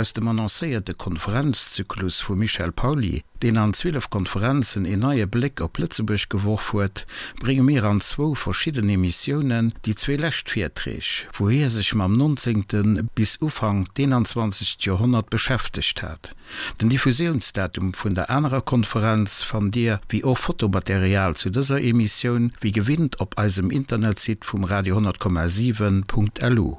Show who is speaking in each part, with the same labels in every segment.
Speaker 1: Aus dem annoncéierte Konferenzzyklus vum Michel Pauly, deen an 12 Konferenzen een neie Bléck op Lëtzebuerg geworf huet, brénge mir an zwou verschidden Emissiounen déi zwee lescht Virträg, wou hie sech mam nonzéngte bis Ufank d'eenanzwanzegt Joerhonnert beschäftegt hat. Den Diffusiounsdatum vun der anerer Konferenz fannt Dir, wéi och Fotomaterial zu dëser Emissioun, wéi gewinnt op eisem Internetsite vum Radio 10,7.lu.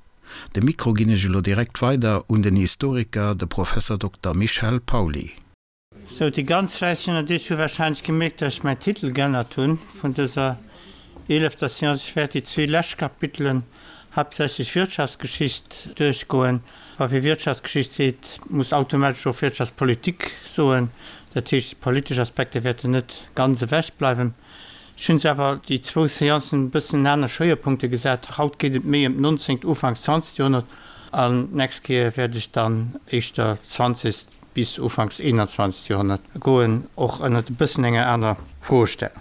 Speaker 1: De Mikro ginn ech elo direkt weider un den Historiker, de Professor Dokter Michel Pauly.
Speaker 2: Sou, déi ganz fläisseg ënnert iech hu warscheinlech gemierkt, dass ech mäin Titel g'ännert hunn vun dëser eelefter Séance. Ech wäert déi zwee lescht Kapitelen, haaptsächlech Wirtschaftsgeschicht, duerchgoen. Wa fir Wirtschaftsgeschicht seet, muss automatesch och Wirtschaftspolitik soen. Dat heescht, d'politesch Aspekter wäerten net ganz ewech bleiwen. Ech hunn se awer déi zwou Seancen e bëssen aner Schwéierpunkte gesat. Haut geet et méi ëm d'nonzéngt, ufanks zwanzegt Joerhonnert an d'nächst Kéier wäert ech dann éischter zwanzegt bis ufanks eenanzwanzegt Joerhonnert goen, och ënnert e bëssen enger aner Froestellung.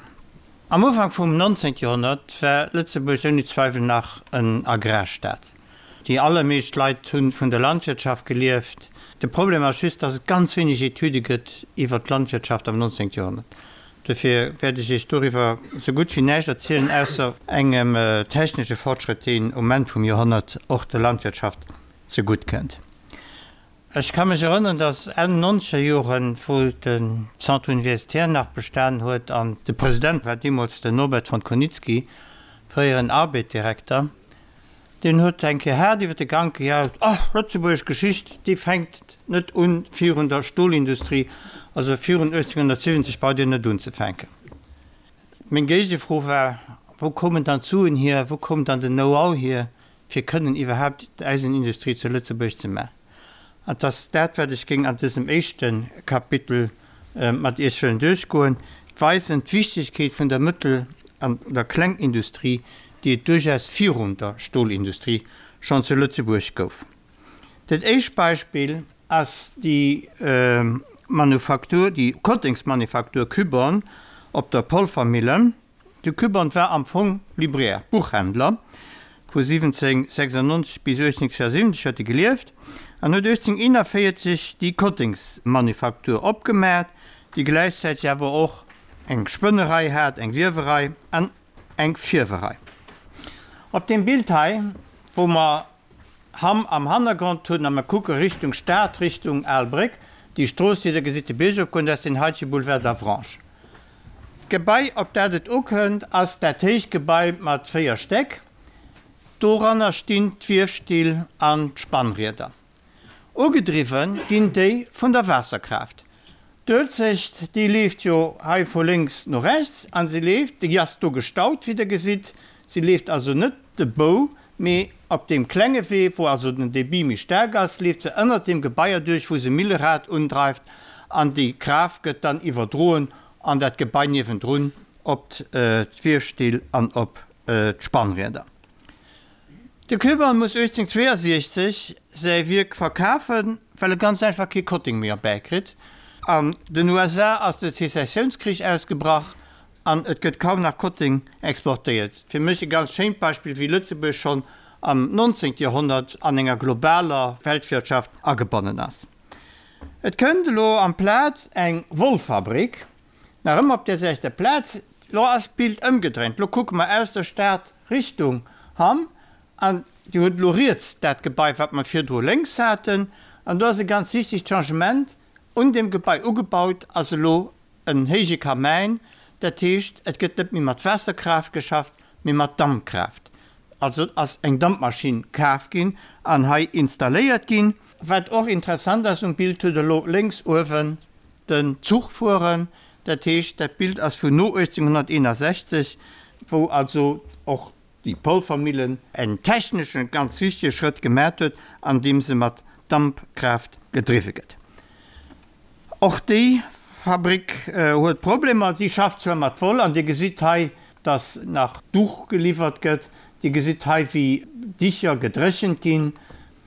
Speaker 2: Am Ufank vum nonzéngt Joerhonnert war Lëtzebuerg ouni Zweiwel nach en Agrarstaat. Déi allermeescht Leit hu vun der Landwirtschaft gelieft. De Problem ass just, dass et ganz wéineg Etüde gëtt iwwert d'Landwirtschaft am 19. Joerhonnert. Dofir wäert ech Iech doriwwer sou gutt wéi näischt erzielen, ausser engem technesche Fortschrëtt, deen um Enn vum Joerhonnert och der Landwirtschaft zegutt kënnt. Ech ka mech erënneren, dass Enn nonzeger Joren, wou de Centre universitaire nach bestan huet an de President war deemools den Norbert von Konitzky, fréieren Arbed-Direkter, Deen huet eng Kéier haart iwwer de Gank gejaut, Oh, lëtzebuergesch Geschicht, déi fänkt net un virun der Stolindustrie, also virun 1870 braucht Dir net unzefänken. Meng Géigefro war, Wou koumen dann d'Suen hier, wou koum dann den Know-how hier, fir kënnen iwwerhaapt d'Eisenindustrie zu Lëtzebuerg ze maachen? An 't ass dat, wat ech géing an dësem éischte Kapitel mat Iech wëllen duerchgoen, weisen d'Wichtigkeet vun der Mëttel an der Klengindustrie, déi et duerchaus virun der Stolindustrie schonn zu Lëtzebuerg gouf. Dat éischt Beispill ass déi Manufaktur, déi Kottengsmanufaktur Küborn op der Polvermillen. De Kübern war am Fong Libraire, Buchhändler. Vu 1796 bis 1872 huet e gelieft an huet 1841 déi Kottengsmanufaktur opgemaat, déi gläichzäiteg awer och eng Spënnerei hat, eng Wiewerei an eng Fierwerei. Op deem Bild hei, wou mer Hamm am Hannergrond hunn a mer kucke Richtung Stad, Richtung Al Bréck, déi Strooss, déi Der gesitt, de Bierg opgoen, dat ass den haitege Boulevard d'Avranches. D'Gebai, op dat et ukënnt, ass dat héicht Gebai mat 4 Stäck. Doranner stinn d'Wiefstill an d'Spannrieder. Ugedriwwe ginn déi vun der Waasserkraaft. D'Uelzecht, déi leeft jo hei vu lénks no rechts an se leeft, déi ass do gestaut, wéi Der gesitt. Se leeft also net de Bou, mee op deem klenge Wee, wou also den Débit méi staark ass, leeft se ënnert deem Gebai erduerch, wou se Millerad undreift an déi Kraaft gëtt dann iwwerdroen an dat Gebai niewendrun op d'Wiefstill an op d'Spannrieder. De Köbern muss 1862 säi Wierk verkafen, well e ganz einfach kee Kotting méi erbäikritt. An den USA ass de Sezessiounskrich ausgebrach an et gëtt kaum nach Kotting exportéiert. Fir mech e ganz schéint Beispill, wéi Lëtzebuerg schonn am 19. Joerhonnert an enger globaler Weltwirtschaft agebonnen ass. Et kënnt elo amplaz eng Wollfabrik, nach ëmmer op där selwechter Plaz. Lo ass d'Bild ëmgedréint, lo kucke mer aus der Stad Richtung Hamm an Dir hutt elo riets dat Gebai, wat mer virdru lénks haten. An do ass e ganz wichtegt Changement, Un deem Gebai ugebaut ass elo en héije Kamäin, dat heescht, et gëtt net méi mat Waasserkraaft geschafft, mee mat Dampkraaft. Also ass eng Dampmaschinn kaf ginn an hei installéiert ginn. Wat och interessant ass um Bild, hutt elo lénks uewen den Zuch fueren, dat heescht, dat Bild ass vun no 1861, wou also och déi Polvermillen en techneschen ganz wichtege Schrëtt gemat huet, andeem se mat Dampkraaft gedriwwe gëtt. Och déi Fabrik huet Problemer. Si schafft zwar mat Woll, an Dir gesitt hei, dass nach Duch geliwwert gëtt. Dir gesitt hei, wéi Dicher gedréchent ginn.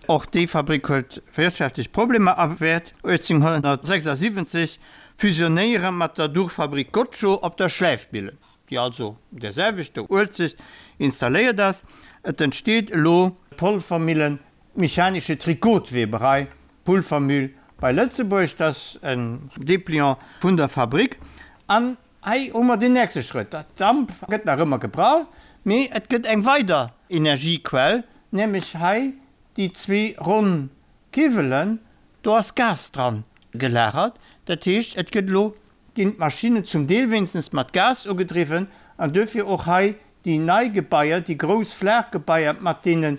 Speaker 2: Och déi Fabrik huet wirtschaftlech Problemer a wäert 1876 fusionéiere mat der Duchfabrik Gottschoo op der Schläifmillen, déi also un där selwechter Uelzecht installéiert ass. Et entsteet elo d'Polvermillen, d'mechanische Trikotweberei. Polvermüll bei Lëtzebuerg. Dat ass en Dépliant vun der Fabrik. An hei hu mer den nächste Schrëtt, Damp gëtt nach ëmmer gebraucht, mee et gëtt eng weider Energiequell, nämlech hei déi zwee ronn Kiwwelen, do ass Gas dran gelagert. Dat heescht, et gëtt elo, ginn d'Maschinnen zum Deel wéinstens mat Gas ugedriwwen an duerfir och hei déi nei Gebaier, déi grouss flaach Gebaier mat deene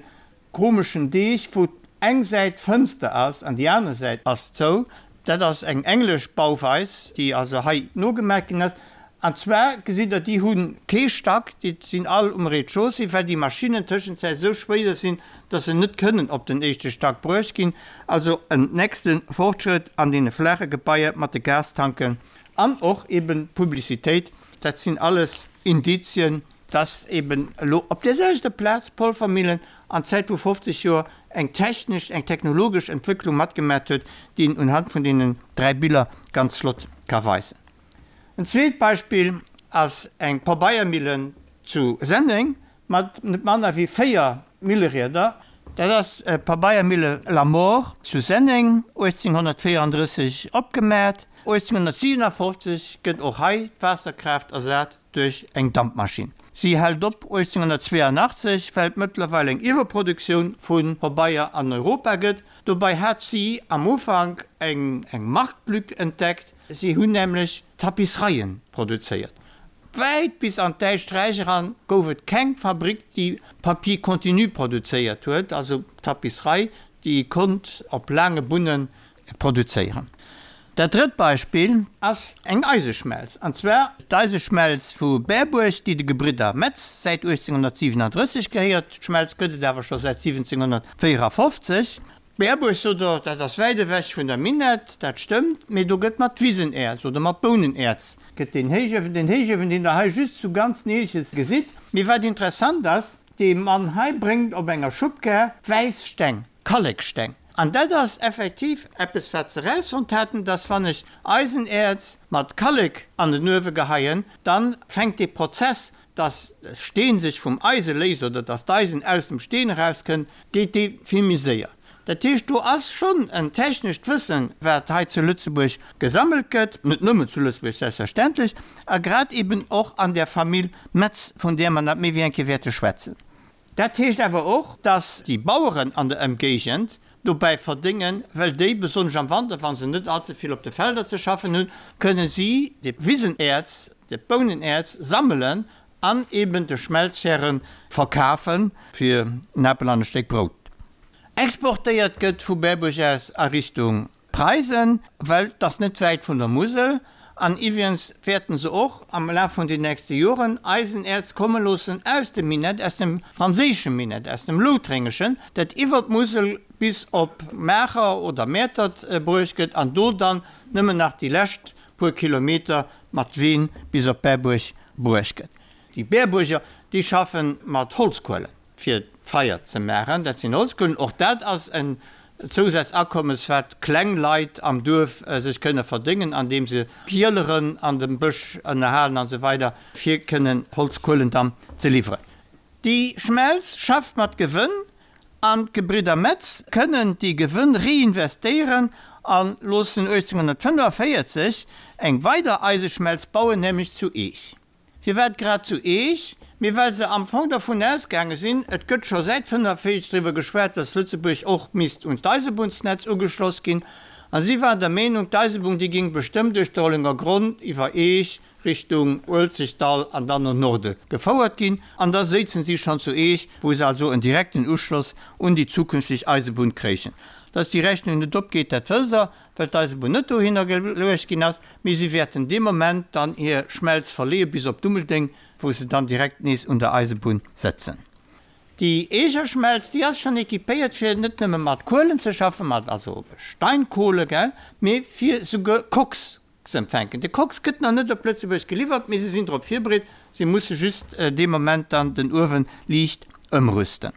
Speaker 2: komeschen Deeg, wou eng Säit Fënster ass an déi aner Säit ass zou. Dat ass eng englesch Bauweis, déi also hei nogemaach ginn ass. An zwar gesitt Der, déi hu kee Stack, déi sinn all um Rez-de-chaussée, well déi Maschinnen tëschenzäit esou schwéier sinn, dass se net kënnen op den éischte Stack bruecht ginn. Also en nächste Fortschrëtt an deene flaache Gebaier mat de Gastanken an och eben d'Publicitéit, dat sinn alles Indizien, dass eben elo op där selwechter Plaz d'Polvermillen an Zäit vu 50 Joer eng technesch, eng technologesch Entwécklung matgemat huet, déi een unhand vun deenen 3 Biller ganz flott ka weisen. En zweet Beispill ass eng Pabeiermillen zu Senneng mat net manner wéi 4 Millerieder. Dat ass d'Pabeiermille Lamort zu Senneng, 1834 opgemat. 1857 gëtt och hei d'Waasserkraaft ersat duerch eng Dampmaschinn. Si hält op 1882, well et mëttlerweil eng Iwwerproduktioun vu Pabeier an Europa gëtt. Dobei hat si am Ufank eng Marktlück entdeckt, si hunn nämlech Tapissereien produzéiert. Wäit bis an d'Däischt Räich eran gouf et keng Fabrik, déi Papier continu produzéiert huet, also Tapisserei, déi konnt op laange Bunne produzéieren. Dat drëtt Beispill ass eng Eiseschmelz, an zwar d'Eiseschmelz vu Berbuerg, déi de Gebridder Metz säit 1837 gehéiert. D'Schmelz gëtt et awer scho säit 1754. Berbuerg, sot Der, dat ass wäit ewech vun der Minett, dat stëmmt, mee do gëtt mat Wisenäerz oder mat Bounenerz gëtt deen Héichuewen, deen Héichuewen, deen Der hei just zu ganz Neelches gesitt. Mee wat interessant ass, dee Mann hei bréngt op enger Schubkar wäiss Steng. Kalleksteng. An dat ass effektiv eppes, wat se erausfonnt haten, dass wann ech Eisenäerz mat Kallek an den Uewe geheien, dann fänkt dee Prozess, dass de Steen sech vum Eise léist oder dass d'Eisen aus dem Steen erauskënnt, geet dee vill méi séier. Dat heescht, do ass schonn en technescht Wëssen, wat hei zu Lëtzebuerg gesammelt gëtt, net nëmmen zu Lëtzebuerg selbstverständlech, a grad eben och an där Famill Metz, vun där mer nach méi wéi eng Kéier wäerte schwätzen. Dat heescht awer och, dass déi Baueren an der Ëmgéigend dobäi verdéngen, well déi, besonnesch am Wanter, wa se net allze vill op de Felder ze schaffen hunn, kënne si de Wisenäerz, de Bounenäerz sammelen an eben de Schmelzhäre verkafe fir en Apel an e Stéck Brout. Exportéiert gëtt vu Berbuerg aus a Richtung Preisen, well 't ass net wäit vun der Musel, an iwwrigens wäerten se och am Laf vun den nächste Joren Eisenäerz komme loossen aus dem Minett, aus dem franséische Minett, aus dem Loutrengeschen, dat iwwer d'Musel bis op Maacher oder Mäertert bruecht gëtt an do dann nëmmen nach déi lescht puer Kilometer mat Ween bis op Berbuerg bruecht gëtt. Déi Berbuerger, déi schaffe mat Holzkuelen. fir d'Feier ze maachen, dat sinn Holzkuelen, och dat ass en Zousaz-Akommes, wat kleng Leit am Duerf sech kënne verdéngen, andeem se Pieleren an dem Bësch ënnerhalen an esou weider, fir kënnen Holzkuelen dann ze liwweren. Déi Schmelz schafft mat Gewënn an d'Gebridder Metz kënnen déi Gewënn reinvestéieren a loossen 1845 eng weider Eiseschmelz bauen, nämlech zu Eech. Firwat grad zu Eech? Mee well se am Fong dervun ausgaange sinn, et gëtt scho säit 45 driwwer geschwat, datt Lëtzebuerg och misst un d'Eisebunnsnetz ugeschloss ginn. A si waren der Meenung, d'Eisebunn déi géing bestëmmt duerch de Rollenger Gronn iwwer Eech Richtung Uelzechtdall an dann no Norde gefouert ginn. An da séizen si schonn zu Eech, wou se also en direkten Uschloss un déi zukünfteg Eisebunn kréichen. Datt déi Rechnung net opgeet, dat wësst Der, well d'Eisebunn net dohinner geluecht ginn ass. Mee si wäerten dee Moment dann hir Schmelz verleeë bis op Dummeldeng, wou se dann direkt nees un der Eisebunn sëtzen. Déi Eegerschmelz, déi ass schonn équipéiert fir net nëmme mat Kuelen ze schaffen, mat also Steinkohle, gell, mee fir souguer Koks ze empfänken. De Koks gëtt nach net op Lëtzebuerg geliwwert, mee se sinn drop virbereet, se musse just dee Moment dann den Uewen liicht ëmrüsten.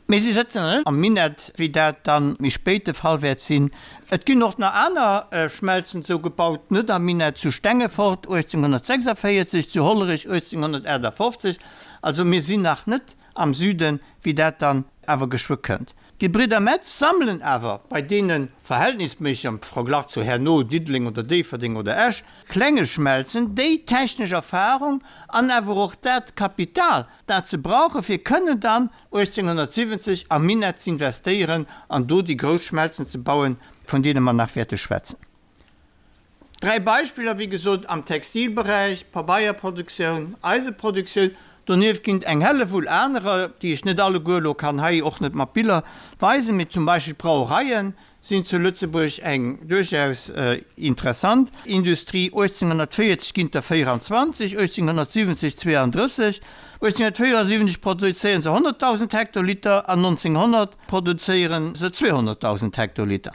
Speaker 2: Mee si sëtzen net am Minett, wéi dat dann méi spéit de Fall wäert sinn. Et ginn och nach aner Schmelzen esou gebaut, net am Minett, zu Stengefort 1846, zu Hollerech 1858. Also mir sinn nach net am Süden, wéi dat dann awer geschwë kënnt. D'Gebridder Metz sammelen awer bei deene verhältnisméisseg, am Verglach zu herno Diddeleng oder Déifferdeng oder Esch, klenge Schmelzen déi technesch Erfahrung an awer och dat Kapital, dat se brauche fir kënnen dann 1870 am Minett z'investéieren an do déi grouss Schmelzen ze bauen, vun deene mer nach wäerte schwätzen. Dräi Beispiller, wéi gesot, am Textilberäich, Pabeierproduktioun, Eiseproduktioun. Donieft ginn et eng Hellewull anerer, déi ech net alleguer elo kann hei och net mat Biller weisen, mee zum Beispill d'Brauereien sinn zu Lëtzebuerg eng duerchaus interessant Industrie. 1840 ginn et der 24, 1870 32, 1874 produzéiere se 100.000 Hektoliter an 1900 produzéiere se 200.000 Hektoliter.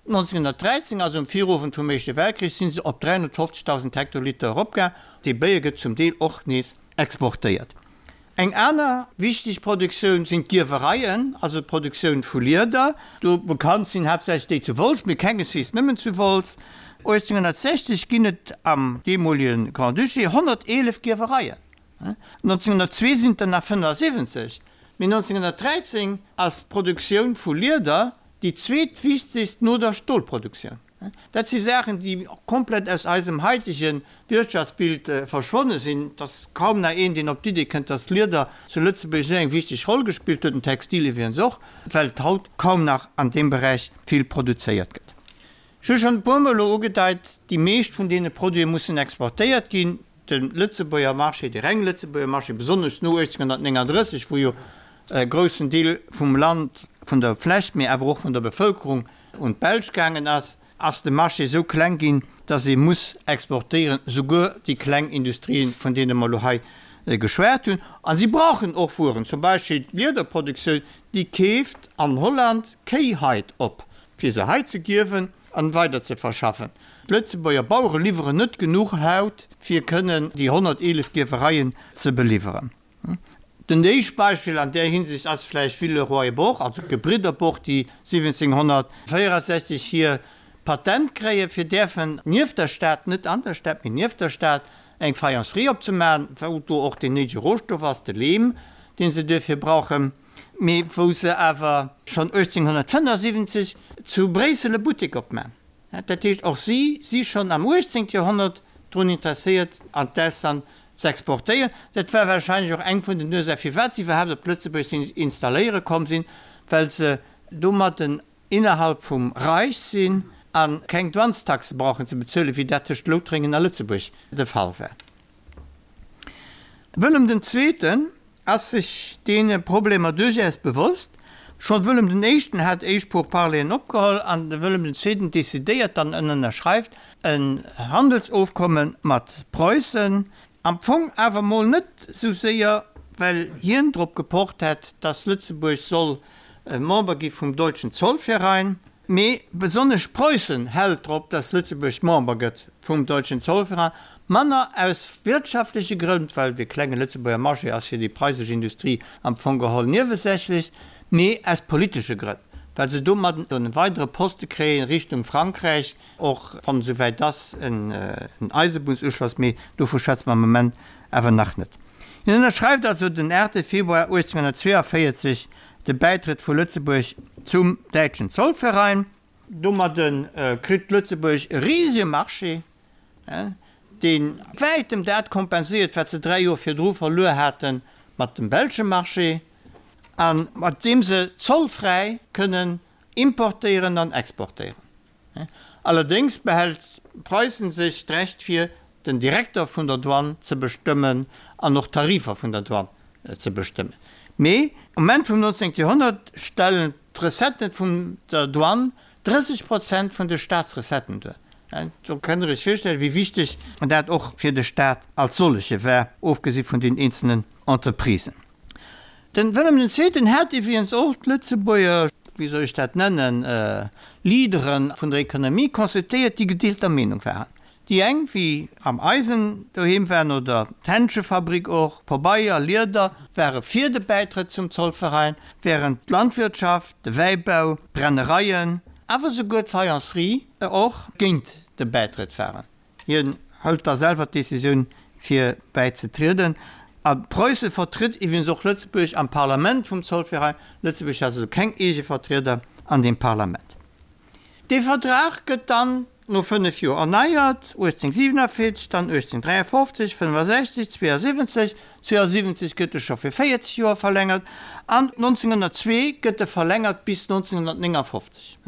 Speaker 2: 1913, also um Virowend vum Éischte Weltkrich, si se op 350.000 Hektoliter eropgaang. Dee Béier gëtt zum Deel och nees exportéiert. Eng aner wichteg Produktioun sinn d'Gierwereien, also d'Produktioun vu Lieder. Do bekannt sinn haaptsächlech déi zu Wolz, mee kengeswees nëmmen zu Wolz. 1860 ginn et am deemolege Grand-Duché 111 Gierwereien. 1902 sinn et der nach 75, mee 1913 ass d'Produktioun vu Lieder déi zweetwichtegst no der Stolproduktioun. Dat si Saachen, déi komplett aus eisem haitege Wirtschaftsbild verschwonne sinn. Et ass kaum nach een, deen op d'Idee kënnt, dass d'Lieder zu Lëtzebuerg esou eng wichteg Roll gespillt huet, den Textil iwwregens och, well et haut kaum nach an deem Beräich vill produzéiert gëtt. Ech hu schonn e puermol elo ugedeit, déi meescht vun deene Produite mussen exportéiert ginn. De Lëtzebuerger Marché, de reng Lëtzebuerger Marché, besonnesch no 1839, wou jo e groussen Deel vum Land, vun der Fläch, mee awer och vun der Bevëlkerung un d'Belsch gaangen ass, ass de Marché esou kleng ginn, dass ee muss exportéieren, souguer déi kleng Industrien, vun deene mer elo hei geschwat hunn. A si brauchen och Wueren, zum Beispill d'Liederproduktioun, déi keeft an Holland Kéihait op, fir se hei ze gierwen an weider ze verschaffen. D'Lëtzebuerger Bauere liwweren net genuch Haut fir kënnen déi 111 Gierwereien ze beliwweren. Den éischt Beispill an där Hinsicht ass vläicht Villeroy-et-Boch, also d'Gebridder Boch, déi 1764 hir Patent kréie fir däerfen nieft der Stad, net an der Stad, mee nieft der Stad eng Faïencerie opzemaachen, wou do och deen néidege Rohstoff ass, de Leem, dee se duerfir brauchen. Mee wou se awer schonn 1875 zu Bréissel e Buttek opman. Dat heescht, och si si schonn am 18. Joerhonnert drun interesséiert, an d'Ausland z'exportéieren. Dat war warscheinlech och eng vun den Ursache firwat si iwwerhaapt op Lëtzebuerg sinn installéiere komm sinn, well se domadden innerhalb vum Reich sinn a keng Douanestaxe brauchen ze bezuelen, wéi dat tëscht Loutrengen a Lëtzebuerg de Fall war. Wëllem den Zweeten ass sech deene Problemer duerchaus bewosst. Schonn Wëllem den Éischten hat éischt Pourparleren opgeholl an de Wëllem den Zweeten decidéiert dann en ënnerschreift en Handelsofkomme mat Preussen. Am Fong awer mol net sou séier, well hien drop gepocht hätt, dass Lëtzebuerg soll Member gi vum Deutschen Zollverein. Mee besonnesch Preussen hält drop, dass Lëtzebuerg Member gëtt vum Deutschen Zollverein, manner aus wirtschaftleche Grënn, well de klenge Lëtzebuerger Marché ass fir déi preisesch Industrie am Fong geholl niewesächlech, mee aus politesche Grënn, well se domadden en weidere Poste kréien Richtung Frankräich, och wann esouwäit ass en Eisebunnsuschloss, mee dovu schwätze mer am Moment awer nach net. Hien ënnerschreift also den 8 Februar 1842 de Bäitrëtt vu Lëtzebuerg zum Däitschen Zollverein. Domadde kritt Lëtzebuerg e risege Marché, dee wäitem dat kompenséiert, wat se 3 Joer virdru verluer hate mat dem belsche Marché, a mat deem se zollfräi kënnen importéieren an exportéieren. Allerdéngs behält Preussen sech d'Recht vir, den Direkter vun der Douane ze bestëmmen an och d'Tarifer vun der Douane ze bestëmmen. Mee um Enn vum 19. Joerhonnert stellen d'Recetten vun der Douane 30 Prozent vun de Staatsrecetten duer. Do kënnt Der Iech virstellen, wéi wichteg dat och fir de Staat als solleche war, ofgesi vun den eenzelnen Entreprisen. Den Wëllem den Zweeten hat iwwregens och d'Lëtzebuerger, wéi soll ech dat nennen, Leadere vun der Economie consultéiert, déi gedeelter Meenung waren. Déi eng, wéi am Eisen doheem waren, oder d'Händschefabrik och, Pabeier, Lieder, ware fir de Bäitrëtt zum Zollverein, während d'Landwirtschaft, de Wäibau, d'Brennereien, awer souguer d'Faïencerie och géint de Bäitrëtt waren. Hien hëlt da selwer d'Decisioun fir bäizetrieden. A Preusse vertritt iwwregens och Lëtzebuerg am Parlament vum Zollverein. Lëtzebuerg hat also keng eege Vertrieder an deem Parlament. Dee Vertrag gëtt dann no 5 Joer erneiert, 1847, dann 1853, 65, 72, 72 gëtt e scho fir 40 Joer verlängert an 1902 gëtt e verlängert bis 1959.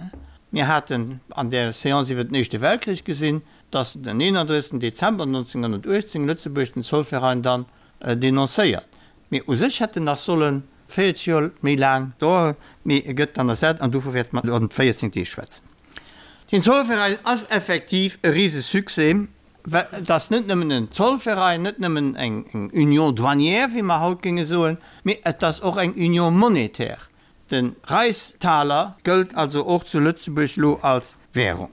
Speaker 2: Mir haten an där Séance iwwer den Éischte Weltkrich gesinn, dass den 31. Dezember 1918 Lëtzebuerg den Zollverein dann denoncéiert. Mee u sech hätt en nach solle 40 Joer méi laang daueren, mee e gëtt dann ersat an dovun wäerte mer an 14 Deeg schwätzen. Den Zollverein ass effektiv e Risesuccès, well et ass net nëmmen en Zollverein, net nëmmen eng Union douanière, wéi mer haut géinge soen, mee et ass och eng Union monétaire. De Reichstaler gëllt also och zu Lëtzebuerg elo als Währung.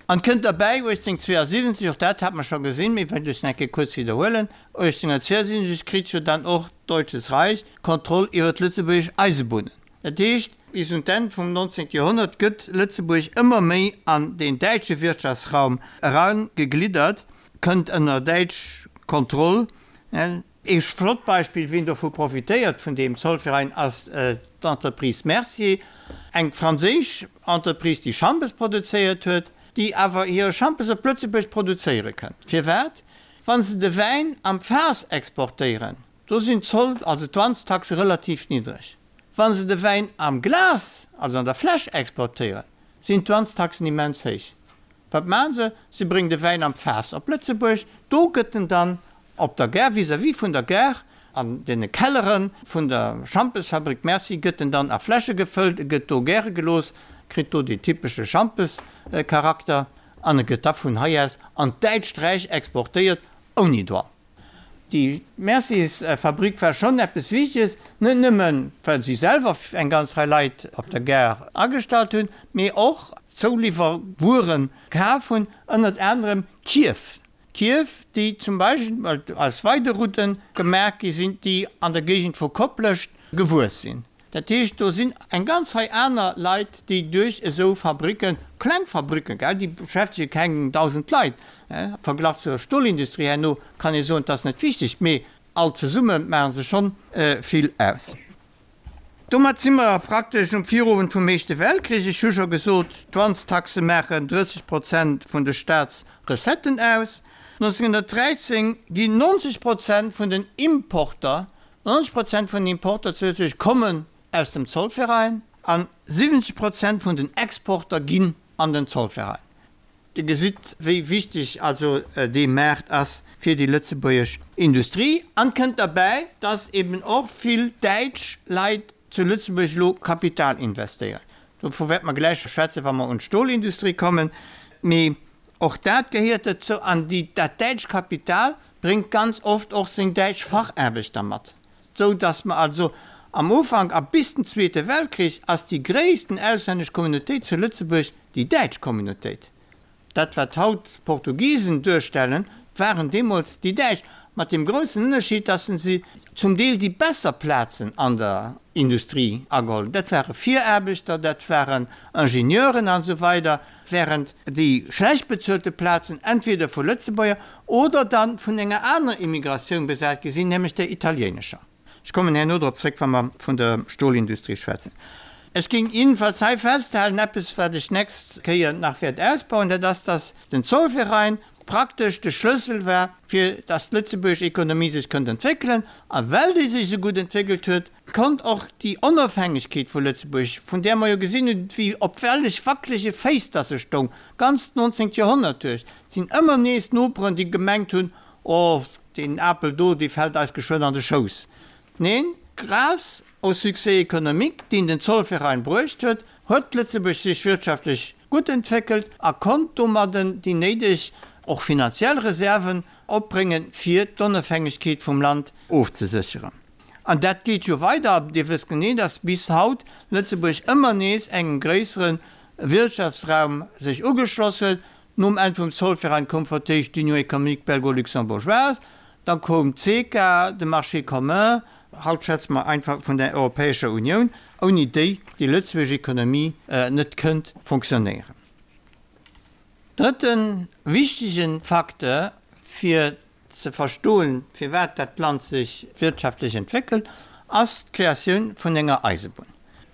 Speaker 2: An kënnt derbäi, 1872, och dat hat mer scho gesinn, mee wëllt ech nach eng Kéier kuerz widderhuelen, 1872 kritt jo dann och d'Deutsches Reich d'Kontroll iwwer d'lëtzebuergesch Eisebunnen. Dat heescht, bis un d'Enn vum 19. Joerhonnert gëtt Lëtzebuerg ëmmer méi an deen däitsche Wirtschaftsraum eragegliddert, kënnt ënner däitsch Kontroll. Ee flott Beispill, wien dovu profitéiert, vun deem Zollverein, ass d'Entreprise Mercier, eng franséisch Entreprise, déi Schampes produzéiert huet, déi awer hire Schampes op Lëtzebuerg produzéiere kënnt. Firwat? Wa se de Wäin am Faass exportéieren, do sinn d'Zoll, also d'Douanestaxe relativ niddreg. Wa se de Wäin am Glas, also an der Fläsch exportéieren, sinn d'Douanestaxen immens héich. Wat maachen se? Se bréngen de Wäin am Faass op Lëtzebuerg. Do gëtt en dann op der Gare, vis-à-vis vun der Gare, an deene Kellere vun der Schampesfabrik Merci, gëtt en dann a Fläsche gefëllt. E gëtt do gäre gelooss, kritt do dee typesche Schampescharakter an e gëtt da vun hei aus an d'Däitscht Räich exportéiert, ouni Douane. Déi Mercis-Fabrick war schonn eppes Wichteges, net nëmmen, well si selwer eng ganz Rei Leit op der Gare agestallt hunn, mee och Zouliwwerwuere kaf hunn, ënnert anerem Kierf. Kierf, déi zum Beispill aus Weiderutten gemaach gi sinn, déi an der Géigend vu Koplescht gewuess sinn. Dat heescht, do sinn eng ganz Rei aner Leit, déi duerch esou Fabricken, kleng Fabricken, gell, déi beschäftege keng 1.000 Leit, am Verglach zur Stolindustrie herno kann ee soen, et ass net wichteg, mee all zesumme maache se schonn vill aus. Domat si mer praktesch um Virowend vum Éischte Weltkrich. Ech hu scho gesot, d'Douanestaxe maachen 30 Prozent vun de Staatsrecetten aus. 1913 ginn 90 Prozent vun den Importer 90 Prozent vun den Importer zu Lëtzebuerg kommen aus dem Zollverein an 70 Prozent vun den Exporter ginn an den Zollverein. Dir gesitt, wéi wichteg also dee Maart ass fir déi lëtzebuergesch Industrie. An kënnt derbäi, dass eben och vill däitsch Leit zu Lëtzebuerg elo Kapital investéieren. Dovu wäerte mer gläich schwätzen, wa mer un d'Stolindustrie kommen. Mee och dat gehéiert dozou. An déi, dat däitscht Kapital bréngt ganz oft och seng däitsch Fachaarbechter mat, sou datt mer also am Ufank a bis den Zweete Weltkrich ass déi gréissten auslännesch Communautéit zu Lëtzebuerg déi däitsch Communautéit. Dat wat haut d'Portugisen duerstellen, waren deemools déi Däitsch, mat deem groussen Ënnerscheed, datt se zum Deel déi besser Plazen an der Industrie ageholl hunn. Dat ware Viraarbechter, dat waren Ingenieuren an esou weider, während déi schlecht bezuelte Plazen entweder vu Lëtzebuerger oder da vun enger anerer Immigratioun besat gi sinn, nämlech der italiéinescher. Ech kommen herno drop zréck, wa mer vun der Stolindustrie schwätzen. Ech géing jedenfalls hei festhalen, eppes, wat ech d'nächst Kéier nach wäert ausbauen, dat ass, dass den Zollverein praktesch de Schlëssel war, fir dass d'lëtzebuergesch Ekonomie sech konnt entwéckelen. A well déi sech esou gutt entwéckelt huet, konnt och déi Onofhängegkeet vu Lëtzebuerg, vun där mer jo gesinn hunn, wéi op wellech wackelege Féiss dass se stoung, ganzt 19. Joerhonnert duerch, et sinn ëmmer nees Noperen, déi gemengt hunn, Oh, deen Apel do, dee fält eis geschwënn an de Schouss. Neen, grâce au succès économique, deen den Zollverein bruecht huet, huet Lëtzebuerg sech wirtschaftlech gutt entwéckelt a konnt domadden déi néideg, och finanziell Reserven opbréngen, fir d'Onofhängegkeet vum Land ofzesécheren. An dat geet jo weider. Dir wësst genee, dass bis haut Lëtzebuerg ëmmer nees engem gréissere Wirtschaftsraum sech ugeschloss huet. Nom Enn vum Zollverein koum fir d'éischt d'Union économique belgo-luxembourgeoise, da koum d'CECA, de Marché commun, haut schwätze mer einfach vun der Europäescher Unioun, ouni déi déi lëtzebuergesch Ekonomie net kënnt fonctionnéieren. Drëtte wichtege Facteur fir. ze verstoen, firwat dat Land sech wirtschaftlech entwéckelt, ass d'Kreatioun vun enger Eisebunn.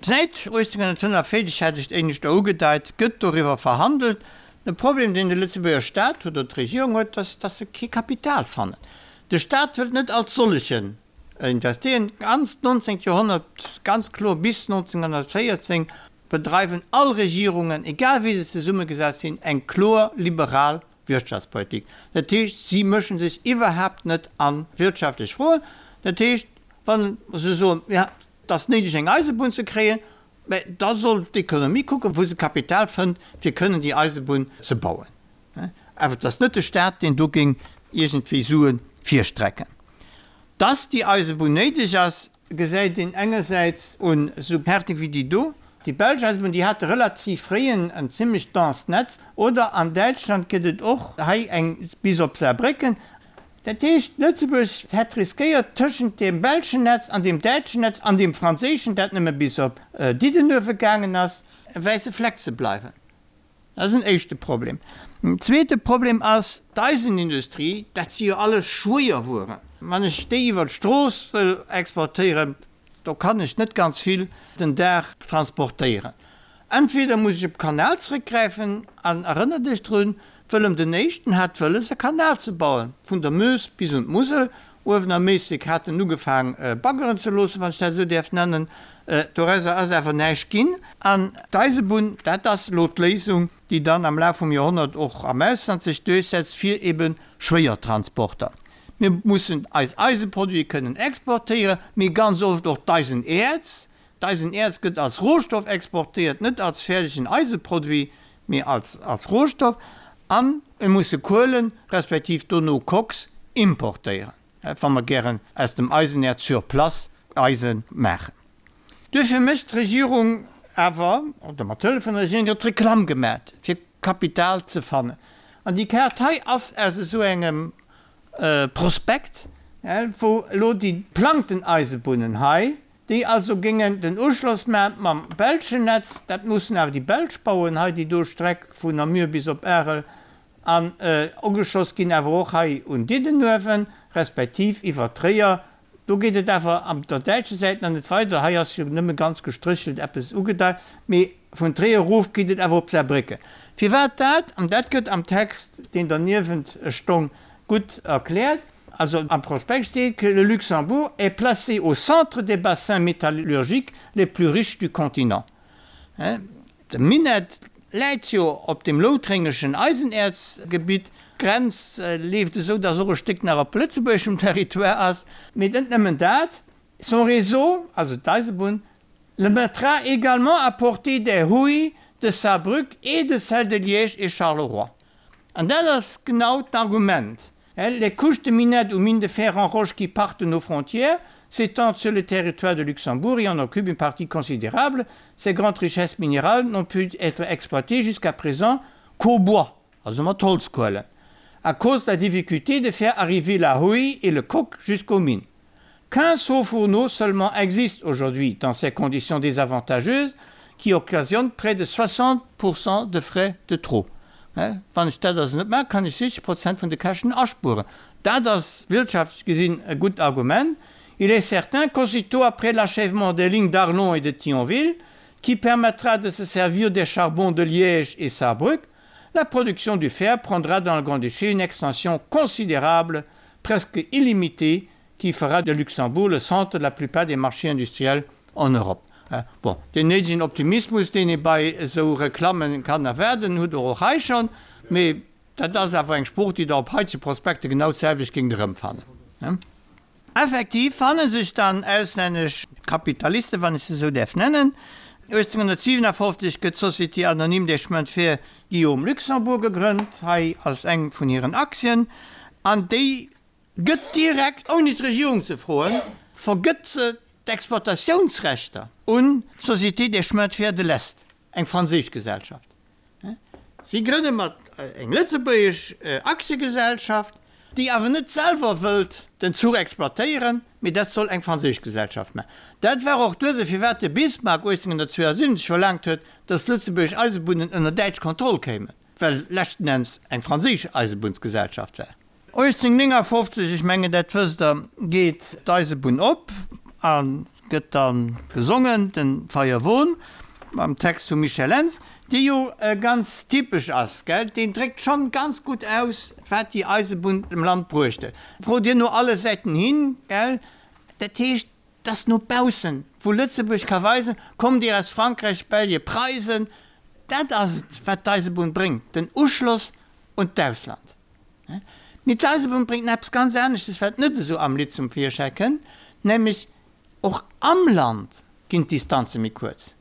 Speaker 2: Säit 1845, hat ech éineschter ugedeit, gëtt doriwwer verhandelt. De Problem, deen de Lëtzebuerger Staat huet, oder d'Regierung huet, ass, dass se kee Kapital fannen. De Staat wëllt net als sollechen investéieren. D'ganzt 19. Joerhonnert, ganz kloer bis 1914, bedreiwen all Regierungen, egal wéi se zesummegesat sinn, eng kloer liberal Wirtschaftspolitik. Dat heescht, si mësche sech iwwerhaapt net a wirtschaftlech Froen. Dat heescht, wa se soen, jo, et ass néideg eng Eisebunn ze kréien, mä da soll d'Ekonomie kucken, wou se Kapital fënnt, fir kënnen déi Eisebunn ze bauen. Awer et ass net de Staat, deen do géing iergendwéi Sue virstrecken. Dass déi Eisebunn néideg ass, gesäit een engersäits un esou Kaarte wéi déi do. Déi belsch Eisebunn, déi hate relativ fréi en zimmlech denst Netz. Oder an Däitschland gëtt et och hei eng bis op Saarbrécken. Dat heescht, Lëtzebuerg hätt riskéiert, tëschent deem belschen Netz an deem däitschen Netz an deem franséischen, dat nëmme bis op Diddenuewe gaangen ass, e wäisse Fleck ze bleiwen. Dat ass en éischte Problem. En zweete Problem ass d'Eisenindustrie. Dat si jo alles Schwéierwueren. Wann ech déi iwwer d'Strooss wëll exportéieren, do kann ech net ganz vill den Dag transportéieren. Entweder muss ech op Kanal zrëckgräifen, an erënnert Iech drun, Wëllem den Éischten hat wëlles e Kanal ze bauen, vun der Meuse bis un d'Musel. Uewen am Méislek hat en ugefaang baggeren ze loossen, wann ech dat esou däerf nennen. Dorauser ass awer näischt ginn. An d'Eisebunn, dat ass elo d'Léisung, déi dann am Laf vum Joerhonnert och am Ausland sech duerchsetzt fir ebe Schwéiertransporter. Mir mussen eis Eiseproduite kënnen exportéieren, mee ganz oft och d'Eisenäerz. D'Eisenäerz gëtt als Rohstoff exportéiert, net als fäerdegen Eiseproduit, mee als als Rohstoff. A mir musse Kuelen, respektiv dono Koks importéieren, wa mer gären aus dem Eisenäerz sur place Eise maachen. Duerfir mécht d'Regierung awer, oder mat Hëllef vun der Regierung gëtt Reklamm gemat, fir Kapital ze fannen. An déi Kaart hei ass aus esou engem Prospekt, wou elo déi geplangten Eisebunnen hei, déi also géingen den Uschloss maachen mam belschen Netz, dat mussen awer déi Belsch bauen hei, déi do Streck vun Namur bis op Arel, an ugeschloss ginn awer och hei un Diddenuewen, respektiv iwwer Tréier. Do geet et awer an der däitsche Säit nach net weider, hei ass jo nëmme ganz gestréchelt eppes ugedeit, mee vun Tréier erof geet et awer op Saarbrécken. Firwat dat? An dat gëtt am Text, deen derniewent stong, gutt erkläert. Also am Prospekt steet que le Luxembourg est placé au centre des bassins métallurgiques les plus riches du continent. De Minett läit jo op dem loutréngeschen Eisenäerzgebitt. D'Grenz leeft esou, datt och e Stéck nach op lëtzebuergeschem Territoire ass. Mee net nëmmen dat, son réseau, also d'Eisebunn, le mettra également à portée des houilles de Saarbrück et de celles de Liège et Charleroi. An dat ass genau d'Argument. Les couches de minette ou mines de fer en roche qui partent de nos frontières s'étendent sur le territoire de Luxembourg et en occupent une partie considérable. Ces grandes richesses minérales n'ont pu être exploitées jusqu'à présent qu'au bois, also mat Holzkuelen, à cause de la difficulté de faire arriver la houille et le coke jusqu'aux mines. 15 hauts fourneaux seulement existent aujourd'hui dans ces conditions désavantageuses qui occasionnent près de 60% de frais de trop. Wann ech dat also net maachen, kann ech 60 Prozent vun de Käschten aspueren. Dat ass wirtschaftlech gesinn e gutt Argument. Il est certain qu'aussitôt après l'achèvement des lignes d'Arlon et de Thionville, qui permettra de se servir des charbons de Liège et Saarbrück, la production du fer prendra dans le Grand-Duché une extension considérable, presque illimitée, qui fera de Luxembourg le centre de la plupart des marchés industriels en Europe. Bon, deen néidegen Optimismus, deen ee bei esou Reklammen kann erwaarden, hutt Der och hei schonn, mee dat ass awer eng Sprooch, déi Der op haitege Prospekte genau d'selwecht géingt erëmfannen. Effektiv fanne sech dann auslännesch Kapitalisten, wann ech se esou däerf nennen. 1857 gëtt d'Société anonyme des chemins de fer Guillaume Luxembourg gegrënnt, hei ass eng vun hiren Aktien, an déi gëtt direkt, ouni d'Regierung ze froen, vergëtt se d'Exploitatiounsrechter un d'Société des chemins de fer de l'Est, eng franséisch Gesellschaft. Si grënne mat eng lëtzebuergesch Aktiegesellschaft, déi awer net selwer wëllt den Zuch exploitéieren, mee dat soll eng franséisch Gesellschaft maachen. Dat war och d'Ursaach, firwat de Bismarck 1872 verlaangt huet, datt lëtzebuergesch Eisebunnen ënner däitsch Kontroll kéimen, well leschten Enns eng franséisch Eisebunnsgesellschaft war. 1859, ech mengen dat wësst Der, geet d'Eisebunn op a gëtt da gesongen, den Feierwon, mam Text vum Michel Lentz, dee jo ganz typesch ass, gell, deen dréckt schonn ganz gutt aus, wat déi Eisebunn dem Land bruecht huet. Frot Dir no alle Säiten hin, gell, dat heescht, dass no baussen, wou Lëtzebuerg ka weisen, kommt Dir aus Frankräich, Belge, Preisen, dat ass et, wat d'Eisebunn bréngt, den Uschloss un d'Ausland. Mee d'Eisebunn bréngt nach eppes ganz aneschtes, wat net esou am Lidd zum Virschäi kënnt, nämlech och am Land ginn d'Distanze méi kuerz.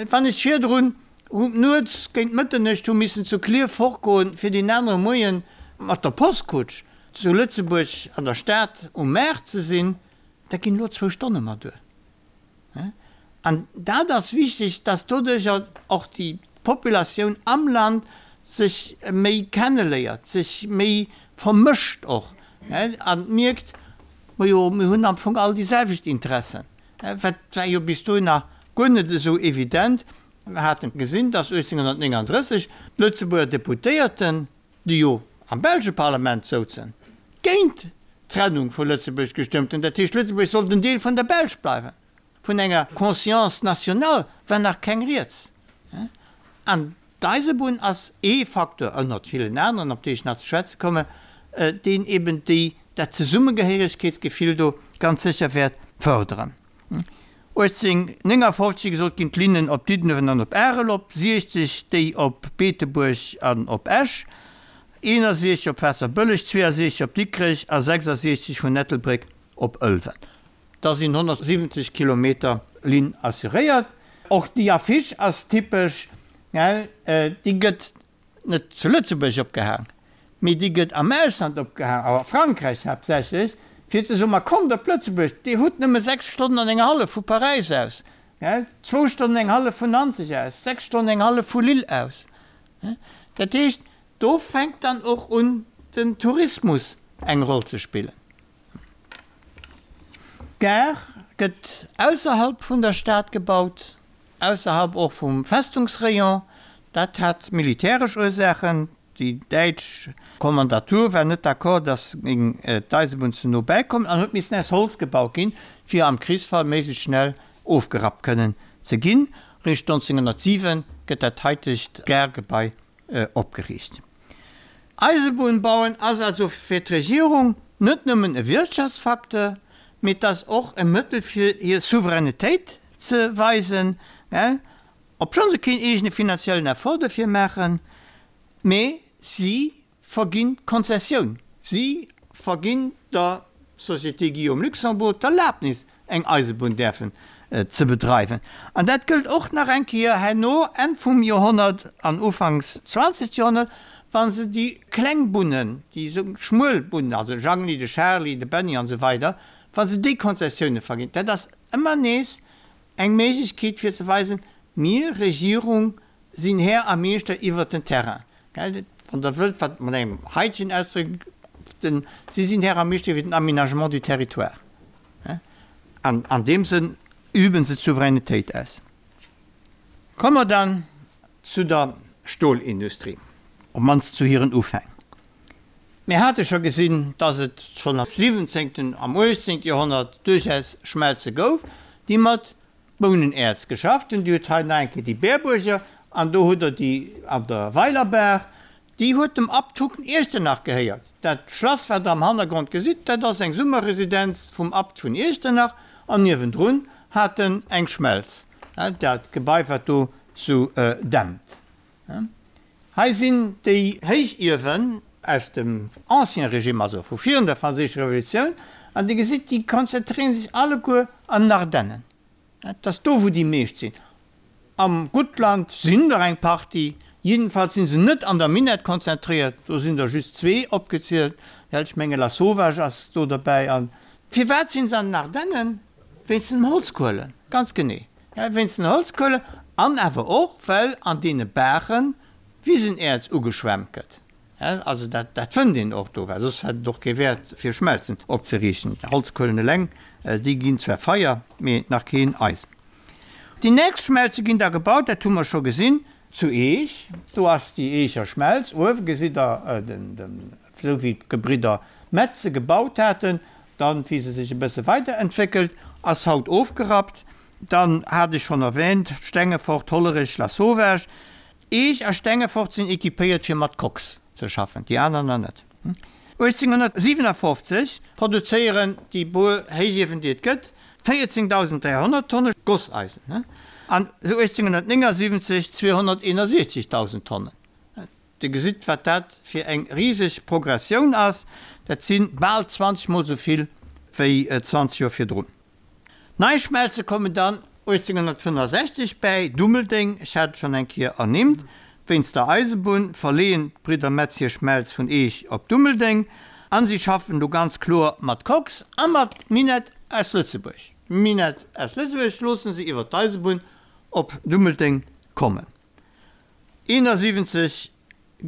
Speaker 2: Wann ech virdrun nuets géint Mëtternuecht hu missen zu Klierf fortgoen, fir deen anere Moie mat der Postkutsch zu Lëtzebuerg an der Stad um Maart ze sinn, Da ginn elo zwou Stonne mer duer. An dat ass wichteg, dass doduercher och déi Populatioun am Land sech méi kenneléiert, sech méi vermëscht och a mierkt, majo, mir hunn am Fong all déi selwecht Interessen. Wat war jo bis dohinner guer net esou evident. Mir hate gesinn, dass 1839 d'Lëtzebuerger Deputéierten, déi jo am belsche Parlament souzen, géint d'Trennung vu Lëtzebuerg gestëmmt hunn, dat heescht Lëtzebuerg sollt en Deel vun der Belsch bleiwen. Vun enger Conscience nationale war nach keng Rieds. An d'Eisebunn ass ee Facteur, ënnert villen aneren, op déi ech nach ze schwätze kommen, deen eben déi, dat Zesummegehéiregkeetsgefill do ganz sécher wäert fërderen. 1859, wéi gesot, ginn d'Linnen op Diddenuewen an op Arel op, 60 déi op Beetebuerg an op Esch, 61 op Waasserbëlleg, 62 op Dikrech a 66 vun Ettelbréck op Ëlwen. Da sinn 170 Kilometer Linn assuréiert. Och déi Affiche ass typesch, déi gëtt net zu Lëtzebuerg opgehaang, mee déi gëtt am Ausland opgehaang, a Frankräich haaptsächlech, fir ze soen, ma kommt op Lëtzebuerg, Dir hutt nëmme 6 Stonnen an eng hallef vu Paräis aus, zwou Stonnen eng hallef vun Nanzeg aus, 6 Stonnen eng hallef vu Lille aus. Dat heescht, do fänkt dann och un den Tourismus eng Roll ze spillen. D'Gare gëtt ausserhalb vun der Stad gebaut, ausserhalb och vum Festungsrayon. Dat hat militäresch Ursaachen. Déi däitsch Kommandatur war net d'accord, datt géing d'Eisebunn ze no bäikommen an huet missen aus Holz gebaut ginn, fir am Krichsfall méiglechst schnell ofgerappt kënnen ze ginn. Réischt 1907 gëtt dat haitegt Gare-Gebai opgeriicht. Eisebunn bauen ass also fir d'Regierung net nëmmen e Wirtschaftsfacteur, mee et ass och e Mëttel fir hir Souveränitéit ze weisen, obschonn se keen eegene finanziellen Effort dofir maachen, mee si verginn d'Konzessioun, si verginn der Société Guillaume Luxembourg d'Erlaabnis eng Eisebunn däerfen ze bedreiwen. An dat gëllt och nach eng Kéier herno, Enn vum Joerhonnert an ufanks zwanzegt Joerhonnert, wa se déi kleng Bunnen, déi esou schmuel Bunnen, also de Jangli, de Charly, de Benni an esou weider, wa se déi Konzessioune verginn. Dat ass ëmmer nees eng Méiglechkeet fir ze weisen, Mir, Regierung, sinn Här a Meeschter iwwert den Terrain. Wann Der wëllt, wat mat engem haitegen Ausdréck, den, si sinn Här a Meeschter iwwer den Aménagement du territoire. An an deem Sënn üben se d'Souveränitéit aus. Komme mer dann zu der Stolindustrie, op d'mannst zu hiren Ufäng. Mir hate scho gesinn, dass et schonn am siwwenzéngten, am uechtzéngte Joerhonnert duerchaus Schmelze gouf, déi mat Bounenäerz geschafft hunn. Dir hutt hei nach eng Kéier déi Berbuerger an do hutt Der déi an der Weilerbaach. Déi huet dem Abt Hucken Iechternach gehéiert. Dat Schlass, wat Der am Hannergrond gesitt, dat ass eng Summerresidenz vum Abt vun Iechternach an niewendrun hat en eng Schmelz, dat Gebai, wat do sou dämpt. Hei sinn déi Héichiewen aus dem Ancien Régime, also vu virun der Franséischer Revolutioun, an Dir gesitt, déi konzentréiere sech alleguer an den Ardennen. Et ass do, wou déi meescht sinn. Am Guttland sinn der eng Partie, jiddefalls si se net an der Minett konzentréiert, do sinn der just zwee opgezielt, ech menge Lasauvage ass do derbäi. A firwat sinn se an den Ardennen? Wéinst den Holzkuelen, ganz genee, wéinst den Holzkuelen an awer och, well an deene Baache Wisenäerz ugeschwemmt gëtt. Also dat dat fënnt een och do, well soss hätt et och kee Wäert fir Schmelzen opzeriichten. Holzkuelen eleng, déi ginn zwar Feier, mee nach keen Eisen. Déi nächst Schmelze ginn da gebaut, dat hu mer scho gesinn, zu Eech. Do ass déi Eecher Schmelz. Uewe gesitt Der de. esou wéi d'Gebridder Metz se gebaut haten, dann wéi se sech e bësse weiderentwéckelt, ass haut ofgerappt. Dann hat ech schonn erwähnt, Stengefort, Hollerech, Lasauvage. Eech a Stengefort sinn équipéiert fir mat Koks ze schaffen, déi aner nach net. 1857 produzéieren déi puer Héichiewen déi et gëtt 14.300 Tonne Gosseisen an esou 1879 261.000 Tonnen. Dir gesitt wat dat fir eng riseg Progressioun ass, dat si bal 20 mol esou vill wéi 20 Joer virdrun. Nei Schmelze kommen dann 1865 bäi, Dummeldeng, ech hat et schonn eng Kéier ernimmt, wéinst der Eisebunn verleeën d'Bridder Metz hir Schmelz vun Eech op Dummeldeng an si schaffen do ganz kloer mat Koks a mat Minett aus Lëtzebuerg. Minett aus Lëtzebuerg loosse se iwwer d'Eisebunn op Dummeldeng kommen. 71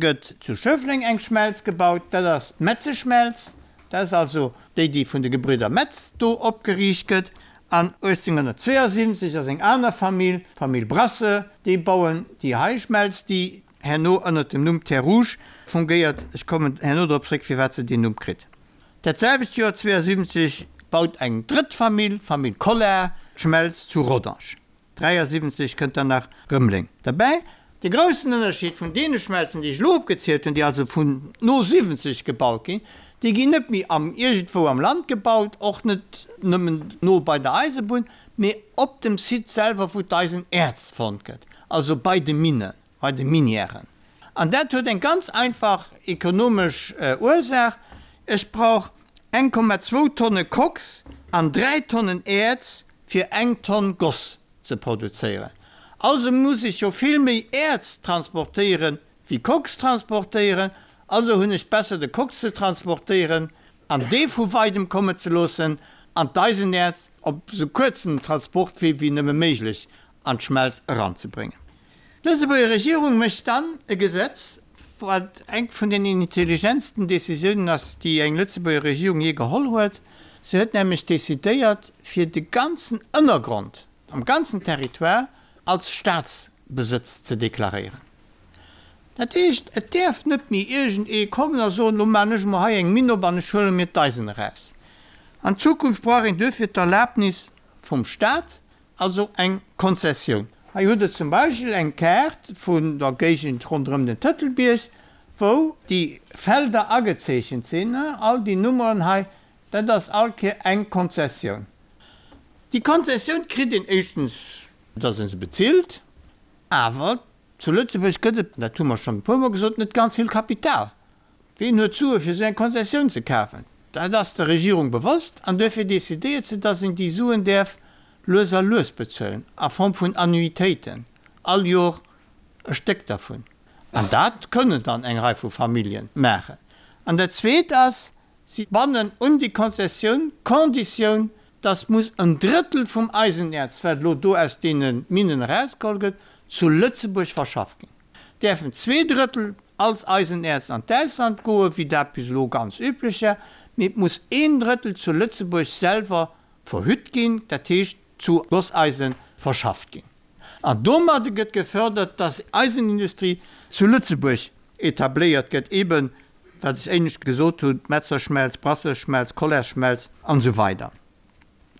Speaker 2: gëtt zu Schëffleng eng Schmelz gebaut, dat ass d'Metzeschmelz, dat ass also déi, déi vun de Gebridder Metz do opgeriicht gëtt. An 1872 ass eng aner Famill, d'Famill Brasse, déi bauen déi hei Schmelz, déi herno ënnert dem Numm Terre Rouge fungéiert. Ech kommen herno drop zréck, firwat se deen Numm kritt. Dat selwecht Joer 72 baut eng drëtt Famill, d'Famill Collard, d'Schmelz zu Rodange. 73 kënnt dann nach Rëmeleng derbäi. De groussen Ënnerscheed vun deene Schmelzen, déi ech elo opgezielt hunn, déi also vun no 70 gebaut ginn, déi ginn net méi am iergendwou am Land gebaut, och net nëmmen no bei der Eisebunn, mee op dem Site selwer, wou d'Eisenäerz fonnt gëtt, also bei de Minnen, bei de Minièren. An dat huet eng ganz einfach ekonomesch Ursaach, Ech brauch 1,2 Tonne Koks an 3 Tonnen Äerz fir eng Tonn Goss ze produzéieren. Also muss ech jo vill méi Äerz transportéieren wéi Koks transportéieren. Also hunn ech besser de Koks ze transportéieren an dee vu weidem kommen ze loossen an d'Eisenäerz op esou kuerzem Transportwee wéi nëmme méiglech an d'Schmelz eranzebréngen. D'Lëtzebuerger Regierung mécht dann e Gesetz, wat eng vun den intelligentsten Décisiounen ass, déi eng Lëtzebuerger Regierung jee geholl huet. Se huet nämlech décidéiert, fir de ganzen Ënnergrond am ganzen Territoire als Staatsbesëtz ze deklaréieren. Dat heescht, et däerf net méi iergend ee kommen a soen, Lo maachen ech emol hei eng Minn op an ech huele mir d'Eisen eraus. An Zukunft brauch een duerfir d'Erlaabnis vum Staat, Also eng Konzessioun. Hei hutt Der zum Beispill eng Kaart vun der Géigend ronderëm den Tëtelbierg, wou déi Felder agezeechent sinn. All déi Nummeren hei, dat ass all Kéier eng Konzessioun. Déi Konzessioun kritt een éischtens, dass ee se bezilt, awer zu Lëtzebuerg gëtt et, dat hu mer schonn e puermol gesot, net ganz vill Kapital. Ween huet d'Sue fir esou eng Konzessioun ze kafen? Dat ass der Regierung bewosst an duerfir decidéiert se, dass een déi Suen däerf lues a lues bezuelen, a Form vun Annuitéiten, all Jor e Stéck dervun. An dat kënnen dann eng Rei vu Famillje maachen. An dat Zweet ass, si bannen un déi Konzessioun d'Konditioun, dass muss en Drëttel vum Eisenäerz, wat elo do aus deene Minnen erausgeholl gëtt, zu Lëtzebuerg verschafft ginn. Däerfen Zweedrëttel als Eisenäerz an d'Ausland goen, wéi dat bis elo ganz üblech war, mee et muss een Drëttel zu Lëtzebuerg selwer verhütt ginn, dat heescht zu Gosseisen verschafft ginn. An domadde gëtt gefördert, dass Eisenindustrie zu Lëtzebuerg etabléiert gëtt, eben wat ech éinescht gesot hunn, Metzerschmelz, Brasseursschmelz, Colairsschmelz an esou weider.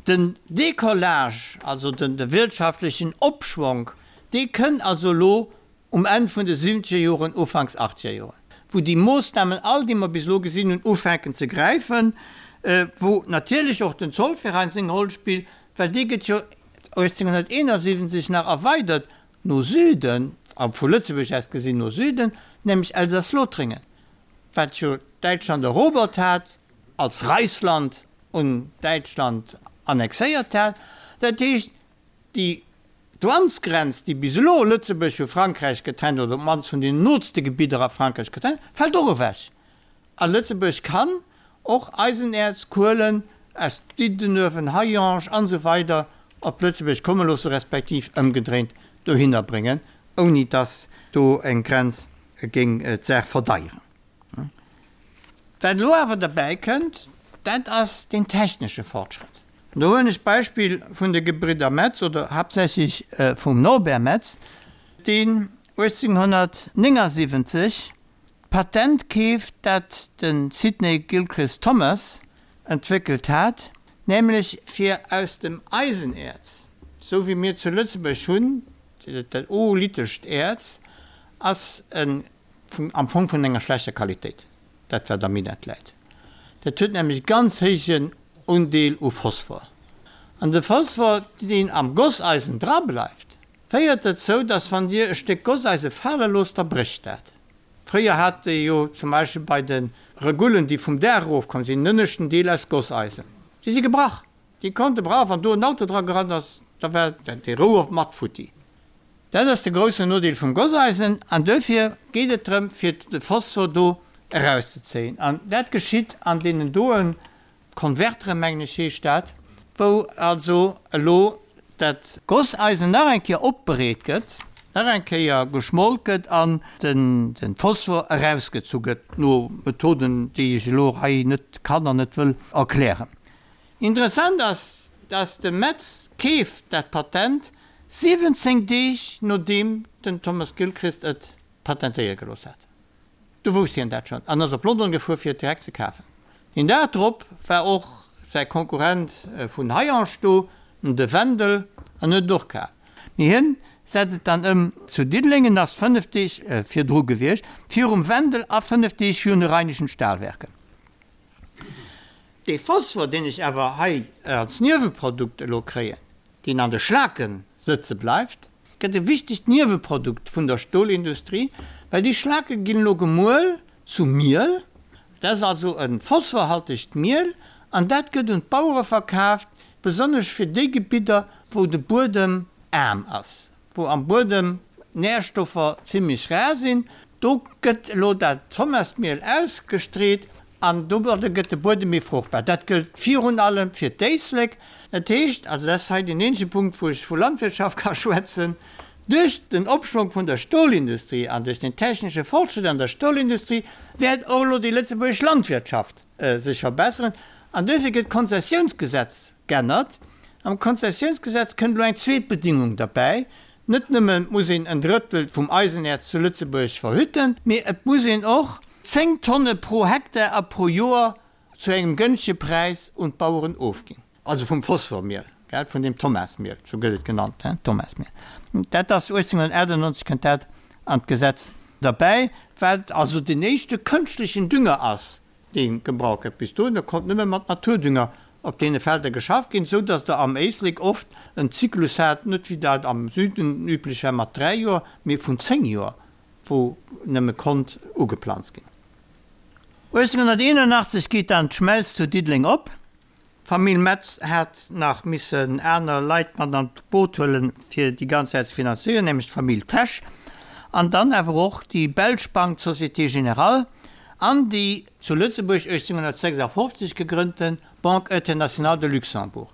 Speaker 2: Den Decollage, also de wirtschaftlechen Opschwonk, dee kënn also elo um Enn vun de siwwenzeger Joren, ufanks achtzeger Joren, wou déi Moossnamen all, déi mer bis elo gesinn hunn, ufänken ze gräifen, wou natierlech och den Zollverein seng Roll spillt, well dee gëtt jo 1871 nach erweidert no Süden, a vu Lëtzebuerg aus gesinn no Süden, nämlech Elsass-Lothringen, wat jo Däitschland erobert hat, als Reichsland un Däitschland annexéiert hat. Dat heescht, déi Douanesgrenz, déi bis elo Lëtzebuerg vu Frankräich getrennt, oder op d'mannst vun den nootste Gebidder a Frankräich getrennt, fält och ewech. A Lëtzebuerg kann och Eisenäerz, Kuelen aus Diddenuewen, Hayange an esou weider op Lëtzebuerg komme loosse respektiv ëmgedréint dohinner bréngen, ouni dass do eng Grenz géing d'Saach verdeieren. Wat elo awer derbäi kënnt, dat ass deen technesche Fortschrëtt. An do huelen ech d'Beispill vun de Gebridder Metz oder haaptsächlech vum Norbert Metz, deen 1879. Patent keeft, dat de Sidney Gilchrist Thomas entwéckelt hat, nämlech fir aus dem Eisenäerz, sou wéi mir zu Lëtzebuerg hunn, dat oolithescht Äerz ass e am Fong vun enger schlechter Qualitéit, dat wat am Minett läit. Dat huet nämlech e ganz héijen Undeel u Phosphor. An de Phosphor, deen am Gosseisen dra bleift, féiert dozou, dass wann Dir e Stéck Gosseise fale loosst, da brécht dat. Fréier hat ee jo zum Beispill bei de Regullen, déi vum Daach erofkomm sinn, en ënneschten Deel aus Gosseisen. Déi si gebrach. Déi konnte brach, wann do en Auto dra gerannt ass, da war dee Rouer mat futti. Dat ass de groussen Nodeel vum Gosseisen an duerfir geet et drëm, fir de Phosphor do erauszezéien. An dat geschitt an deenen doen Konverteren, mengen ech heescht dat, wou also elo dat Gosseisen nach eng Kéier opbereet gëtt, nach eng Kéier geschmolt gëtt an de Phosphor erausgezu gëtt, no Methoden, déi ech elo hei net kann an net wëll erklären. Interessant ass, dass de Metz keeft dat Patent 17 Deeg nodeem den Thomas Gilchrist et patentéiere gelooss hat. Du wousst hien dat schonn an ass op London gefuer fir et direkt ze kafen. Deen Dag drop war och säi Konkurrent vun Hayange do, de Wendel, an huet et och kaf. Mee hien setzt et dann ëm zu Diddeleng en ass 5 Deeg virdru gewiescht, virum Wendel a 5 Deeg virun de Rheinischen Stahlwerke. Dee Phosphor, deen ech awer hei als Nieweprodukt elo kréien, deen an de Schlake sëtze bleift, gëtt e wichtegt Nieweprodukt vun der Stolindustrie, well déi Schlake ginn elo gemuel zu Miel. Dat ass also e phosphorhaltegt Miel an dat gëtt un d'Bauere verkaaft, besonnesch fir déi Gebidder, wou de Buedem aarm ass. wou am Buedem d'Närstoffer zimlech rar sinn, do gëtt elo dat Thomasmiel ausgestreet an domadder gëtt de Buedem méi fruchtbar. Dat gëllt virun allem fir d'Éislek. Dat heescht, also dat ass hei deen eenzege Punkt, wou ech vu Landwirtschaft ka schwätzen, duerch den Opschwong vun der Stolindustrie an duerch den technesche Fortschritt an der Stolindustrie wäert och elo déi lëtzebuergesch Landwirtschaft sech verbesseren an duerfir gëtt d'Konzessiounsgesetz g'ännert. Am Konzessiounsgesetz kënnt elo eng zweet Bedingung derbäi, Net nëmme muss een en Drëttel vum Eisenäerz zu Lëtzebuerg verhütten, mee et muss een och 10 Tonne pro Hektar a pro Joer zu engem gënschtege Präis un d'Baueren ofginn. Also vum Phosphormiel, gell, vun deem Thomasmiel, sou gëtt et genannt, hein, Thomasmiel. Dat ass 1898 kënnt dat an d'Gesetz derbäi, wat also den éischte kënschtlechen Dünger ass, dee gebraucht gëtt. Bis dohinner konnt nëmme mat Naturdünger op deene Felder geschafft ginn, sou datt der am Éislek oft en Zyklus hat, net wéi dat am Süden üblech war mat 3 Joer, mee vun 10 Joer, wou nëmme konnt ugeplanzt ginn. 1881 geet dann d'Schmelz zu Diddeleng op. D'Famill Metz hat nach missen aner Leit mat an d'Boot huelen, fir déi ganz Saach ze finanzéieren, nämlech d'Famill Tesch an dann awer och déi belsch Bank d'Société Générale an déi zu Lëtzebuerg 1856 gegrënnte Banque Internationale de Luxembourg.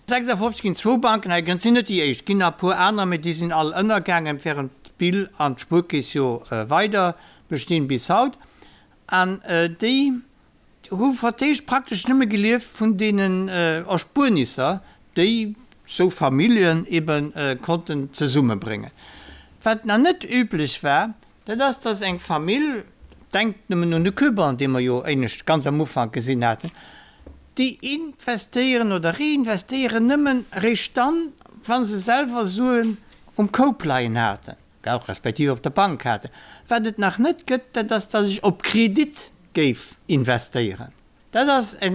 Speaker 2: 56 ginn zwou Banken hei gegrënnt, sinn net déi éischt, ginn nach e puer aner, mee déi sinn all ënnergaangen, während d'BIL an d'Spuerkeess jo weider bestinn bis haut. An déi hu fir d'éischt praktesch nëmme gelieft vun deenen Erspuernisser, déi sou Familljen ebe konnten zesummebréngen. Wat nach net üblech war, dat ass, dass eng Famill, denkt nëmmen un de Cuban, dee mer jo éinescht ganz am Ufank gesinn haten, déi investéieren oder reinvestéieren nëmmen eréischt dann, wa se selwer Suen um Koup leien haten. Respektiv op der Bank haten. Wat et nach net gëtt, dat ass, datt ech op Kredit géif investéieren. Dat ass e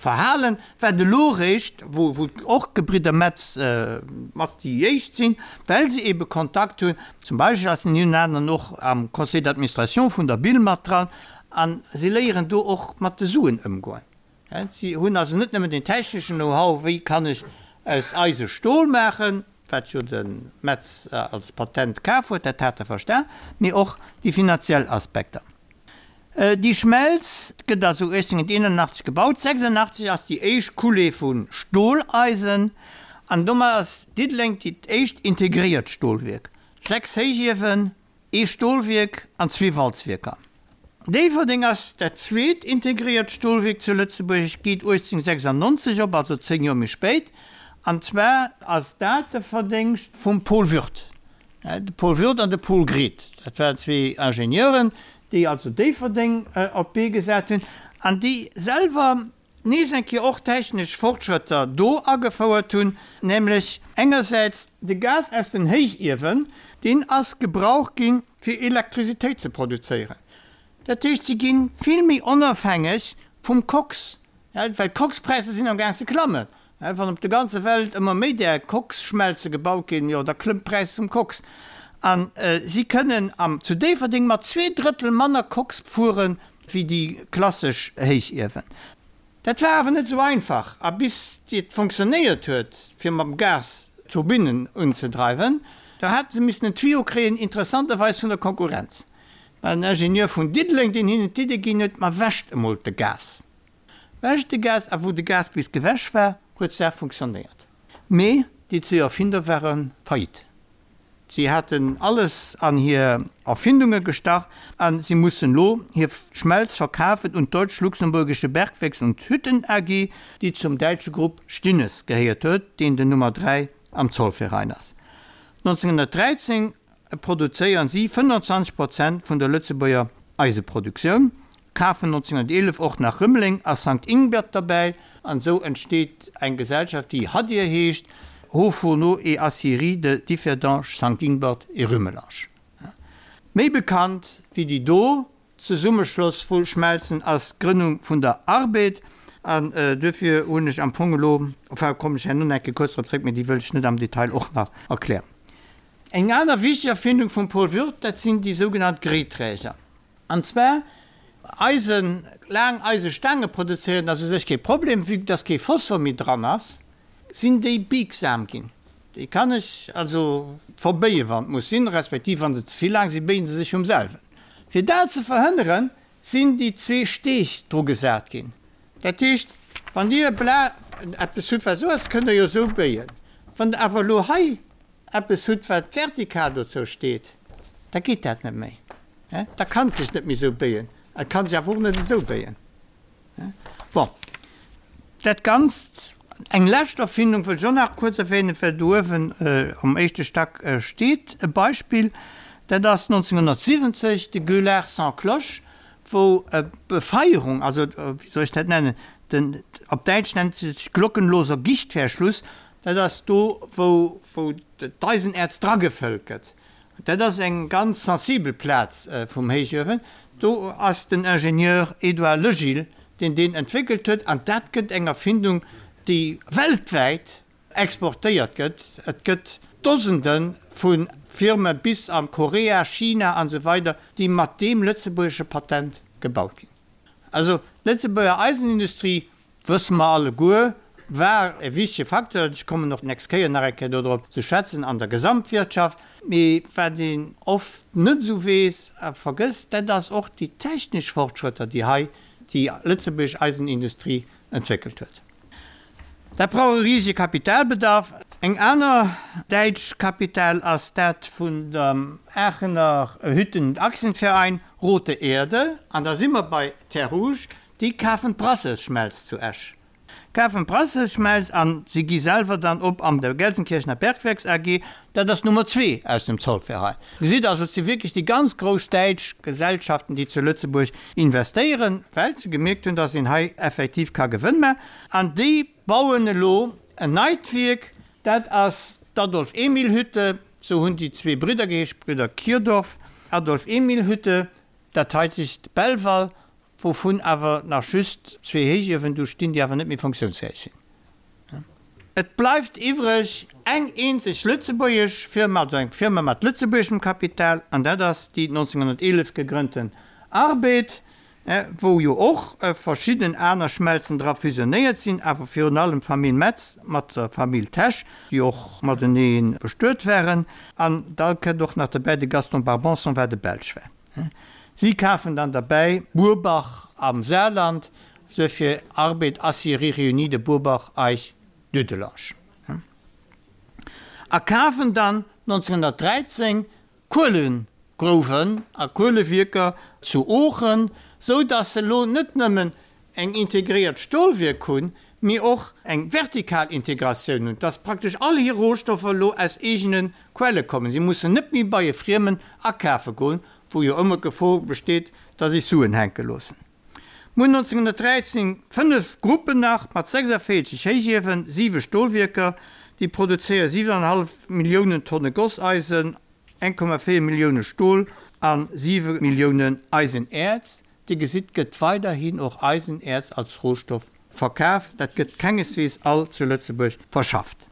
Speaker 2: Verhalen, wat elo eréischt, wou och d'Gebridder Metz mat déi éischt sinn, well se eebe Kontakt hunn, zum Beispill ass den een oder aneren och am Conseil d'administration vun der BIL mat dran, a si léieren do och mat de Suen ëmgoen. Si hunn also net nëmmen den techneschen Know-how, wéi kann ech aus Eise Stol maachen, wat jo de Metz als Patent kaf huet, dat hat e verstan, mee och déi finanziell Aspekter. Déi Schmelz gëtt also 1881 gebaut, 86 ass déi éischt Coulée vu Stoleisen an domat ass Diddeleng dat éischt integréiert Stolwierk, 6 Héichiewen, Ee Stolwierk an zwee Walzwierker. Déifferdeng ass dat zweet integréiert Stolwierk zu Lëtzebuerg, geet 1896 op, also 10 Joer méi spéit. An zwar ass dat de Verdéngscht vum Paul Würth. De Paul Würth an de Paul Gredt, dat waren zwee Ingenieuren, déi also Déifferdeng op d'Bee gesat hunn an déi selwer nees eng Kéier och technesch Fortschrëtter do agefouert hunn, nämlech engersäits de Gas aus den Héichiewen, deen ass gebraucht ginn, fir Elektrisitéit ze produzéieren. Dat heescht, si gi vill méi onofhängeg vum Koks, well d'Kokspräisser sinn amgaang ze klammen. Wann op der ganzer Welt ëmmer méi där Koksschmelze gebaut ginn, jo da klëmmt d'Präis vum Koks. A si kënnen am zu Déifferdeng mat 2/3 manner Koks fuere wéi déi klassesch Héichiewen. Dat war awer net esou einfach a bis et fonctionnéiert huet, fir mam Gas d'Turbinnen unzedreiwen, do hate se missen en Tuyau kréien, interessanterweis vun der Konkurrenz. War en Ingenieur vun Diddeleng, deen hinnen d'Idee ginn huet, Ma wäscht emol de Gas. Wäscht de Gas. A wou de Gas bis gewäsch war, huet d'Saach funktionéiert. Mee déi zwee Erfinder ware faillite. Si haten alles an hir Erfindunge gestach a si mussen elo hir Schmelz verkafen un d'Deutsch-Luxemburgische Bergwerks und Hütten AG, déi zum däitsche Grupp Stinnes gehéiert huet, deen den Nummer 3 am Zollverein ass. 1913 produzéieren si 25 Prozent vun der Lëtzebuerger Eiseproduktioun, kafen 1911 och nach Rëmeleng a Sankt Ingbert derbäi an esou entsteet eng Gesellschaft déi Hadir heescht, Hauts Fourneaux et Aciéries de Differdange, Sankt Ingbert et Rumelange. Méi bekannt wéi déi do Zesummeschloss vu Schmelzen ass d'Grënnung vun der Arbed an duerfir hunn ech am Fong elo, enfin kommen ech herno nach eng Kéier kuerz drop zréck, mee déi wëll ech net am Detail och nach erklären. Eng aner wichteg Erfindung vum Paul Würth, dat sinn déi sougenannt Gréträger. An zwar Eisen, laang Eisestaange produzéieren ass u sech kee Problem, vue dass kee Phosphor méi dran ass, sinn déi biegsam ginn. Déi kann ech also verbéien, wann et muss sinn, respektiv wa se ze vill laang sinn, béien se sech vum selwen. Fir dat ze verhënneren, sinn déi zwee Steeg dru gesat ginn. Dat heescht, wann Dir e Bla eppes hutt, wat esou ass, kënnt Der jo esou béien. Wann Der awer elo hei eppes hutt, wat vertikal dozou steet, da geet dat net méi. Da kann et sech net méi esou béien. Et ka sech awer och net esou béien. Bon, dat Ganzt, eng lescht Erfindung wëll ech och nach kuerz erwähnen, well do uewen am éischte Stack steet e Beispill, dat ass 1970 de Gueulard sans cloche, wou d'Befeierung, also wéi soll ech dat nennen, den, op Däitsch nennt se sech glockenloser Gichtverschluss, dat ass do wou wou d'Eisenäerz dragefëllt gëtt. Dat ass eng ganz sensibel Plaz vum Héichuewen. Do ass den Ingenieur Edouard Legil, deen deen entwéckelt huet, an dat gëtt eng Erfindung, déi weltwäit exportéiert gëtt. Et gëtt Dosende vu Firme bis a Korea, China an esou weider, déi mat deem lëtzebuergesche Patent gebaut ginn. Also d'Lëtzebuerger Eisenindustrie Wësse mer alleguer, war e wichtege Facteur, ech kommen och d'nächst Kéier nach eng Kéier dodrop ze schwätzen, an der Gesamtwirtschaft. Mee wat een oft net esou weess a vergësst, dat ass och déi technesch Fortschrëtter, déi hei déi lëtzebuergesch Eisenindustrie entwéckelt huet. Dat brauch e risege Kapitalbedarf. Eng aner däitsch Kapital ass dat vun dem Aachener Hütten und Aktienverein Rote Erde, an da si mer bei Terres Rouges, Déi kafen d'Brasselsschmelz zu Esch. Kafen d'Brasselsschmelz an si gi selwer dann op an der Gelsenkirchener Bergwerks AG. Dat ass Nummer zwee aus dem Zollverein. Gesitt also, et si wierklech déi ganz grouss däitsch Gesellschaften, déi zu Lëtzebuerg investéieren, well se gemierkt hunn, dass een hei effektiv ka Gewënn maachen. An déi bauen elo en neit Wierk, dat ass d'Adolf-Emil-Hütte, sou hunn déi zwee Bridder geheescht, Brüder Kirdorf, Adolf-Emil-Hütte, dat haitegt Belval, wouvun awer nach just zwee Héichiewen do stinn, déi awer net méi funktiounsfäeg sinn. Et bleift iwwreg eng eenzeg lëtzebuergesch Firma, also eng Firma mat lëtzebuergeschem Kapital, an dat ass déi 1911 gegrënnten Arbed, wou jo och verschidden aner Schmelzen dra fusionéiert sinn, awer virun allem d'Famill Metz mat der Famill Tesch, déi och matenee bestuet waren. An da kënnt och nach derbäi de Gaston Barbanson, wat e Belsch war. Si kafen dann derbäi Burbach am Saarland, suerfir Arbed Aciéries Réunies de Burbach Eich Dudelange, a kafen dann 1913 Kuelegrouwen a Kuelewierker zu Oochen, sou dass se elo net nëmmen eng integréiert Stolwierk hunn, mee och eng vertikal Integratioun hunn, dass praktesch all hir Rohstoffer elo aus eegene Quelle kommen. Si mussen net méi bei e Friemen akafe goen. Wou jo ëmmer d'Gefor besteet, datt ech Suen hänke loossen. Mir hunn 1913 5 Gruppen nach mat 46 Héichiewen, 7 Stolwierker, déi produzéiere 7,5 Milliounen Tonne Gosseisen, 1,4 Millioune Stol a 7 Milliounen Eisenäerz. Dir gesitt, gëtt weiderhin och Eisenäerz als Rohstoff verkaf. Dat gëtt kengeswees all zu Lëtzebuerg verschafft.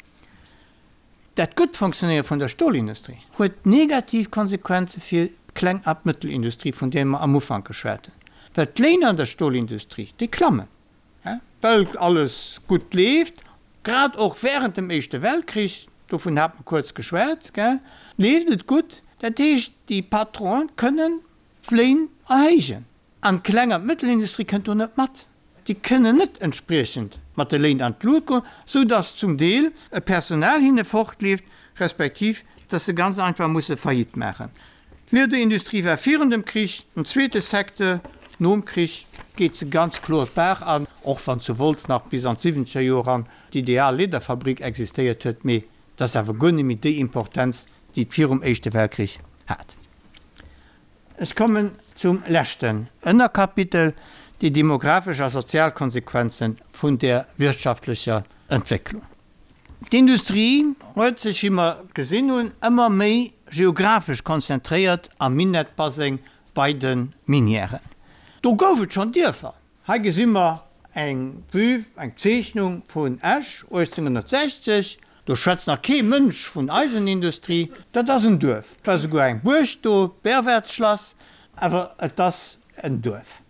Speaker 2: Dat gutt Fonctionnéiere vun der Stolindustrie huet negativ Konsequenze fir d'Kleng a d'Mëttelindustrie, vun där mer am Ufank geschwat hunn, well d'Léin an der Stolindustrie, déi klammen, well alles gutt leeft, grad och während dem Éischte Weltkrich, dovun hat mer kuerz geschwat, leeft et gutt. Dat heescht, déi Patronen kënnen d'Léin erhéijen. An d'Kleng an d'Mëttelindustrie kënnt do net mat. Déi kënnen net entspriechend mat de Léin an d'Lut goen, sou dass zum Deel e Personal hinne fortleeft, respektiv dass se ganz einfach musse Faillite maachen. D'Liederindustrie war virun dem Krich en zweete Secteur, nom Krich geet se ganz kloer d'Baach an, och wann zu Wolz nach bis an d'siwwenzeger Joer eran d'Ideal Liederfabrik existéiert huet, mee et ass awer guer net méi déi Importenz, déi et virum Éischte Weltkrich hat. Ech kommen zum leschten Ënnerkapitel, déi demographesch a sozial Konsequenze vun där wirtschaftlecher Entwécklung. D'Industrie huet sech, wéi mer gesinn hunn, ëmmer méi geographesch konzentréiert am Minettbaseng bei de Minièren. Do gouf et schonn Dierfer. Hei gesi mer eng Vue, eng Zeechnung vun Esch 1860. Do schwätzt nach kee Mënsch vun Eisenindustrie. Dat ass en Duerf. Et war souguer eng Buerg do, d'Berwerthschlass, awer et ass en Duerf.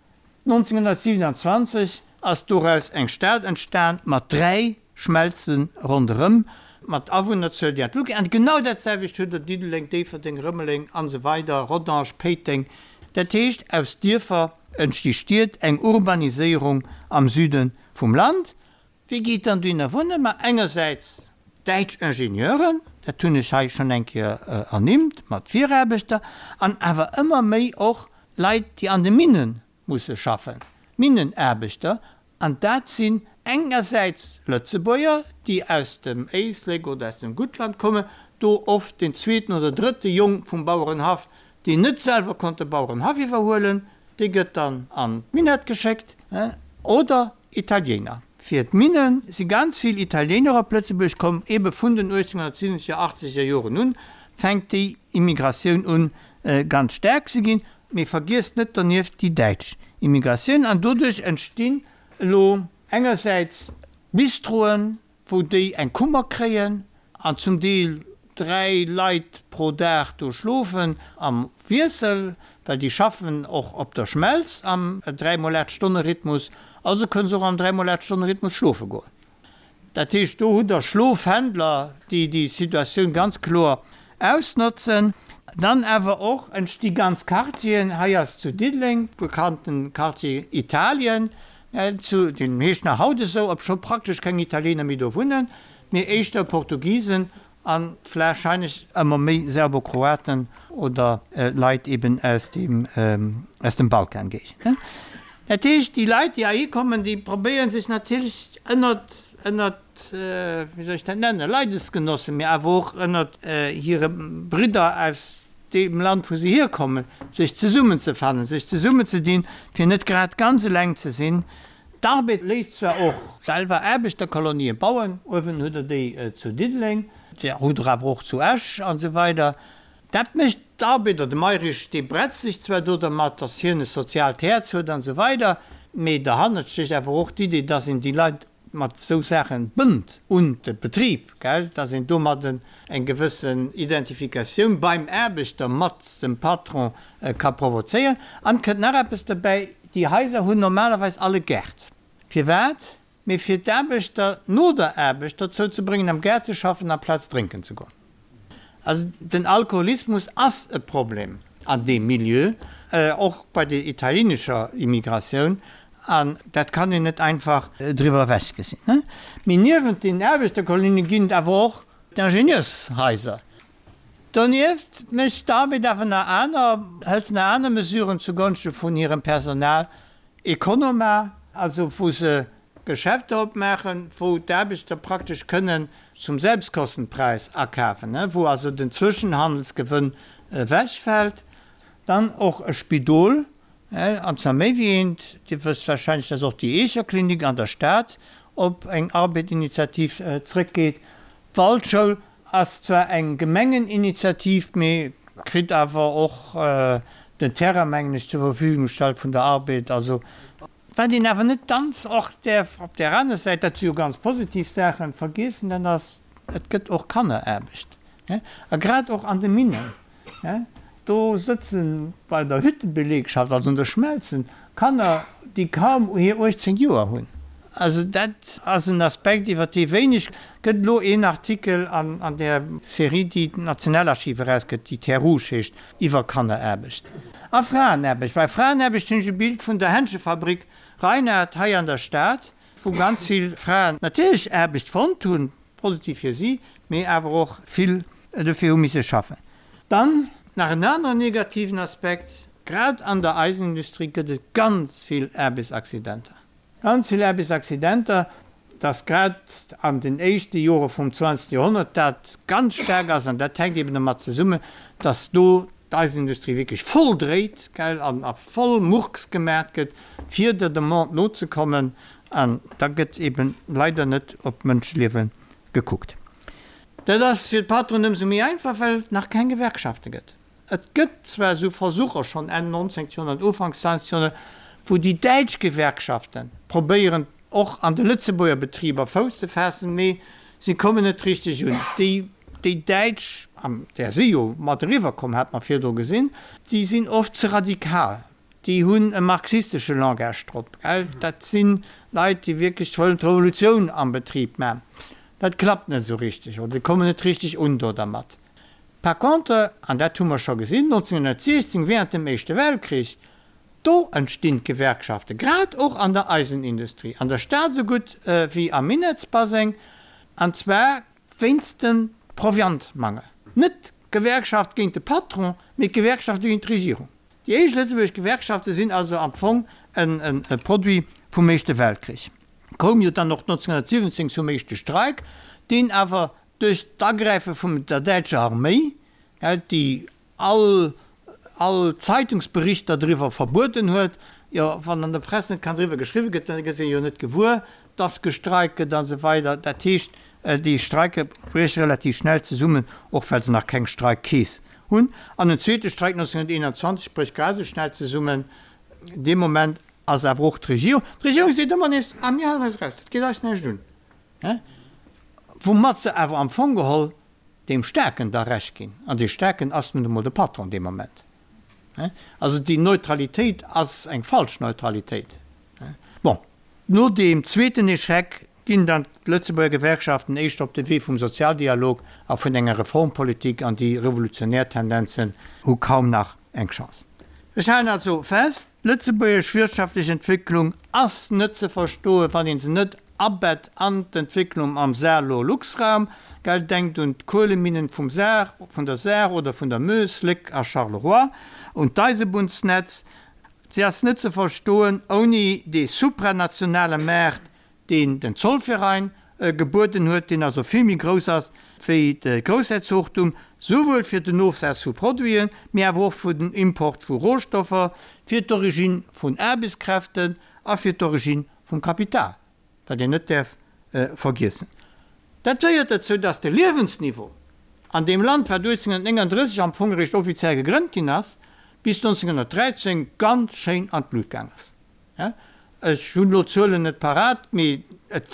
Speaker 2: 1927 ass doraus eng Stad entstan mat 3 Schmelze ronderëm, mat Awunnerzuel, déi an d'Luucht geet. An genau dat selwecht huet Der Diddeleng, Déifferdeng, Rëmeleng an esou weider, Rodange, Péiteng. Dat heescht, aus Dierfer entsti Stied, eng Urbaniséierung am Süde vum Land. Wie geet dann dohinner wunnen? Ma engersäits däitsch Ingenieuren, dat hunn ech hei schonn eng Kéier ernimmt, mat Viraarbechter, an awer ëmmer méi och Leit, déi an de Minne musse schaffen, Minnenaarbechter, an dat sinn engersäits Lëtzebuerger, déi aus dem Éislek oder aus dem Guttland kommen, do oft den zweeten oder drëtte Jong vum Bauerenhaff, deen net selwer konnt de Bauerenhaff iwwerhuelen, dee gëtt dann an d'Minett geschéckt, oder Italiener. Fir d'Minne si ganz vill Italiener op Lëtzebuerg komm, ebe vun den 1870er, achtzeger Joren un fänkt déi Immigratioun un ganz staark ze ginn. Mee vergiesst net donieft déi däitsch Immigratioun an doduerch entstinn elo engersäits Bistroen, wou déi eng Kummer kréien an zum Deel 3 Leit pro Dag do schlofen am Wiessel, well déi schaffen och op der Schmelz am 3 mol 8 Stonne Rhythmus, also kënne se och am 3 mol 8 Stonne Rhythmus schlofe goen. Dat heescht, do hutt Der Schlofhändler, déi déi Situatioun ganz kloer ausnotzen. Dann awer och entsti ganz Quartieren. Hei ass zu Diddeleng bekannten Quartier Italien, zu, deen heescht nach haut esou, obscho praktesch keng Italiener méi do wunnen, mee éischter Portugisen a warscheinlech ëmmer méi Serbokroaten oder Leit eben aus dem, aus dem Balkangéigend. Dat heescht, déi Leit, déi heihi kommen, déi probéiere sech natierlech ënnert, ënnert, wéi soll ech dat nennen, Leidesgenossen, mee awer och ënnert hire Bridder aus deem Land, wou se hierkommen, sech zesummenzefannen, sech zesummenzedinn, fir net grad ganz eleng ze sinn. D'Arbed léisst zwar och selwer Aarbechterkolonien bauen, uewen hutt Der déi zu Diddeleng, déi hutt Der awer och zu Esch an esou weider. Dat mécht d'Arbed, oder de Mayrisch, dee bretzt sech zwar do dermat, datt hien e soziaalt Häerz huet an esou weider, mee derhannert stécht awer och d'Idee, datt een déi Leit mat esou Saache bënnt un de Betrib, gell, datt een domadden eng gewëssen Identifikatioun beim Aarbechter mat dem Patron ka provozéieren. An et kënnt nach eppes derbäi, Déi Haiser hunn normalerweis all e Gaart. Firwat? Mee fir d'Aarbechter no der Aarbecht dozou ze bréngen, am Gaart ze schaffen amplaz drénken ze goen. Also den Alkoholismus ass e Problem an deem Milieu, och bei der italienescher Immigratioun, an dat kann een net einfach driwwer ewech gesinn. Mee niewent den Aarbechterkolonien ginn et awer och d'Ingenieurshaiser. Donieft mécht d'Arbed awer nach aner, hëlt se nach aner Mesuren zugonschte vun hirem Personal, Economa, also wou se Geschäfter opmaachen, wou d'Aarbechter praktesch kënnen zum Selbstkostenpreis akafen, wou also den Zwëschenhandelsgewënn ewechfält. Dann och e Spidol, an zwar méi wéi eent. Dir wësst warscheinlech, dass och déi Eecher Klinik an der Stad op eng Arbed-Initiativ zrëckgeet. D'Waldschoul ass zwar eng Gemengeninitiativ, mee kritt awer och den Terrain, mengen ech, zur Verfügung gestallt vun der Arbed. Also, wat een awer net ganz och däerf op där aner Säit, dat si jo ganz positiv Saachen, vergiessen, dat ass, et gëtt och Kanneraarbecht, a grad och an de Minnen. Do sëtze bei der Hüttebelegschaft, also an der Schmelzen, Kanner, déi kaum hir 18 Joer hunn. Also dat ass en Aspekt, iwwer dee wéineg gëtt. Elo een Artikel an där Serie, déi d'Nationalarchiv erausgëtt, déi Terres Rouges heescht, iwwer Kanneraarbecht a Fraenaarbecht. Bei Fraenaarbecht hunn ech e Bild vun der Händschefabrik Reinhard hei an der Stad, wou ganz vill Fraen natierlech Aarbecht fonnt hunn, Positiv fir si, mee awer och vill dofir hu misse schaffen. Dann nach en aneren negativen Aspekt, Grad an der Eisenindustrie gëtt et ganz vill Aarbechtsaccidenter, ganz vill Aarbechtsaccidenter, dass grad an den éischte Jore vum zwanzegste Joerhonnert dat ganz staark ass. An dat hänkt eben domat zesummen, dass do d'Eisenindustrie wierklech voll dréit, gell, an a voll Murks gemaach gëtt, fir der Demande nozekommen. An da gëtt eben leider net op d'Mënscheliewe gekuckt. Dat ass fir d'Patronen ëmsou méi einfach, well et nach keng Gewerkschafte gëtt. Et gëtt zwar esou Versucher, schonn Enn 19. Joerhonnert, Ufanks 20. Joerhonnert, wou déi däitsch Gewerkschafte probéieren, och an de Lëtzebuerger Betriber Fouss ze faassen, mee si kommen net richteg un. Déi, déi däitsch, an där si jo mat eriwwer komm, hat mer virdru gesinn, déi sinn oft ze radikal, déi hunn e marxistesche Langage drop, gell. Dat si Leit, déi wierklech wëllen d'Revolutioun am Betrib maachen. Dat klappt net esou richteg oder déi kommen net richteg un do dermat. Par contre, an dat hu mer scho gesinn, 1916, während dem Éischte Weltkrich, do entstinn d'Gewerkschaften, grad och an der Eisenindustrie, an der Stad esou gutt wéi am Minettsbaseng, an zwar wéinst dem Proviantmangel. Net d'Gewerkschaft géint de Patron, mee d'Gewerkschafte géint d'Regierung. Déi éischt lëtzebuergesch Gewerkschafte sinn also am Fong e Produit vum Éischte Weltkrich. Koum jo dann och 1917 zum éischte Streik, deen awer Duerch d'Agräife vum der däitscher Arméi, déi all all Zeitungsberichter driwwer verbueden huet, jo wann an der Press net kann driwwer geschriwwe gëtt, dann gëtt een jo net gewuer, dass gestreikt gëtt an esou weider. Dat heescht, déi Streike brieche relativ schnell zesummen, och well se nach keng Streikkeess hunn. An en zweete Streik 1921 brécht grad esou schnell zesummen. Dee Moment ass awer och d'Regierung, d'Regierung seet ëmmer nees, ah mir halen eis eraus, dat geet eis näischt un. Woumat se awer am Fong geholl deem Staarken da Recht ginn. An dee Staarken ass nun emol de Patron dee Moment. Also déi Neutralitéit ass eng falsch Neutralitéit. Bon, no deem zweeten Echec ginn dann d'Lëtzebuerger Gewerkschaften éischter op de Wee vum Sozialdialog a vun enger Reformpolitik an déi revolutionär Tendenzen hu kaum nach eng Chance. Ech halen also fest, D'lëtzebuergesch wirtschaftlech Entwécklung ass net ze verstoen, wann een se net abett an d'Entwécklung am Saar-Lor-Lux-Raum, gell, denkt un d'Kueleminnen vum Saar, vun der Saar oder vun der Meuse, Léck a Charleroi, un d'Eisebunnsnetz. Se ass net ze verstoen ouni dee supranationale Maart, deen den Zollverein gebueden huet, deen also vill méi grouss ass wéi de Groussherzogtum, souwuel fir den Ofsaz vu Produiten, mee awer och fir den Import vu Rohstoffer, fir d'Origine vun Aarbechtskräften a fir d'Origine vum Kapital, wat een net däerf vergiessen. Dat féiert dozou, dass de Liewensniveau an deem Land, wat 1839 am Fong eréischt offiziell gegrënnt ginn ass, bis 1913 ganz schéin an d'Lut gaang ass. Ech hunn elo d'Zuelen net parat, mee et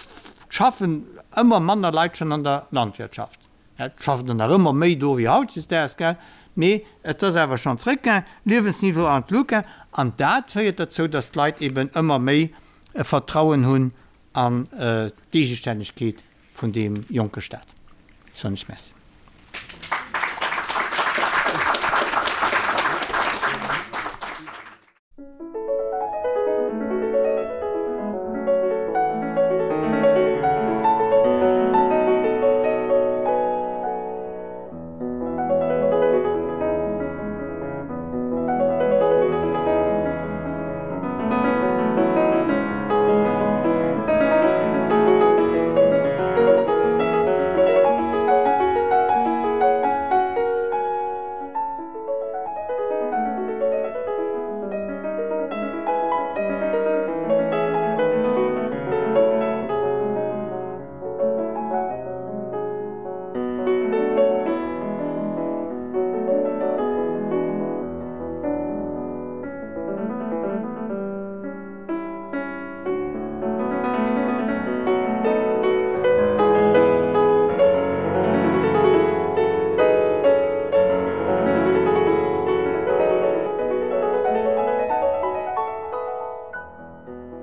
Speaker 2: schaffen ëmmer manner Leit schonn an der Landwirtschaft. Et schaffen der nach ëmmer méi do wéi hautdesdaags, gell, mee et ass awer schonn zréckgaang, Liewensniveau an d'Lut gaang. An dat féiert derzou, datt d'Leit eben ëmmer méi e Vertrauen hunn an d'Eegestännegkeet vun deem jonke Staat. Soen ech Merci.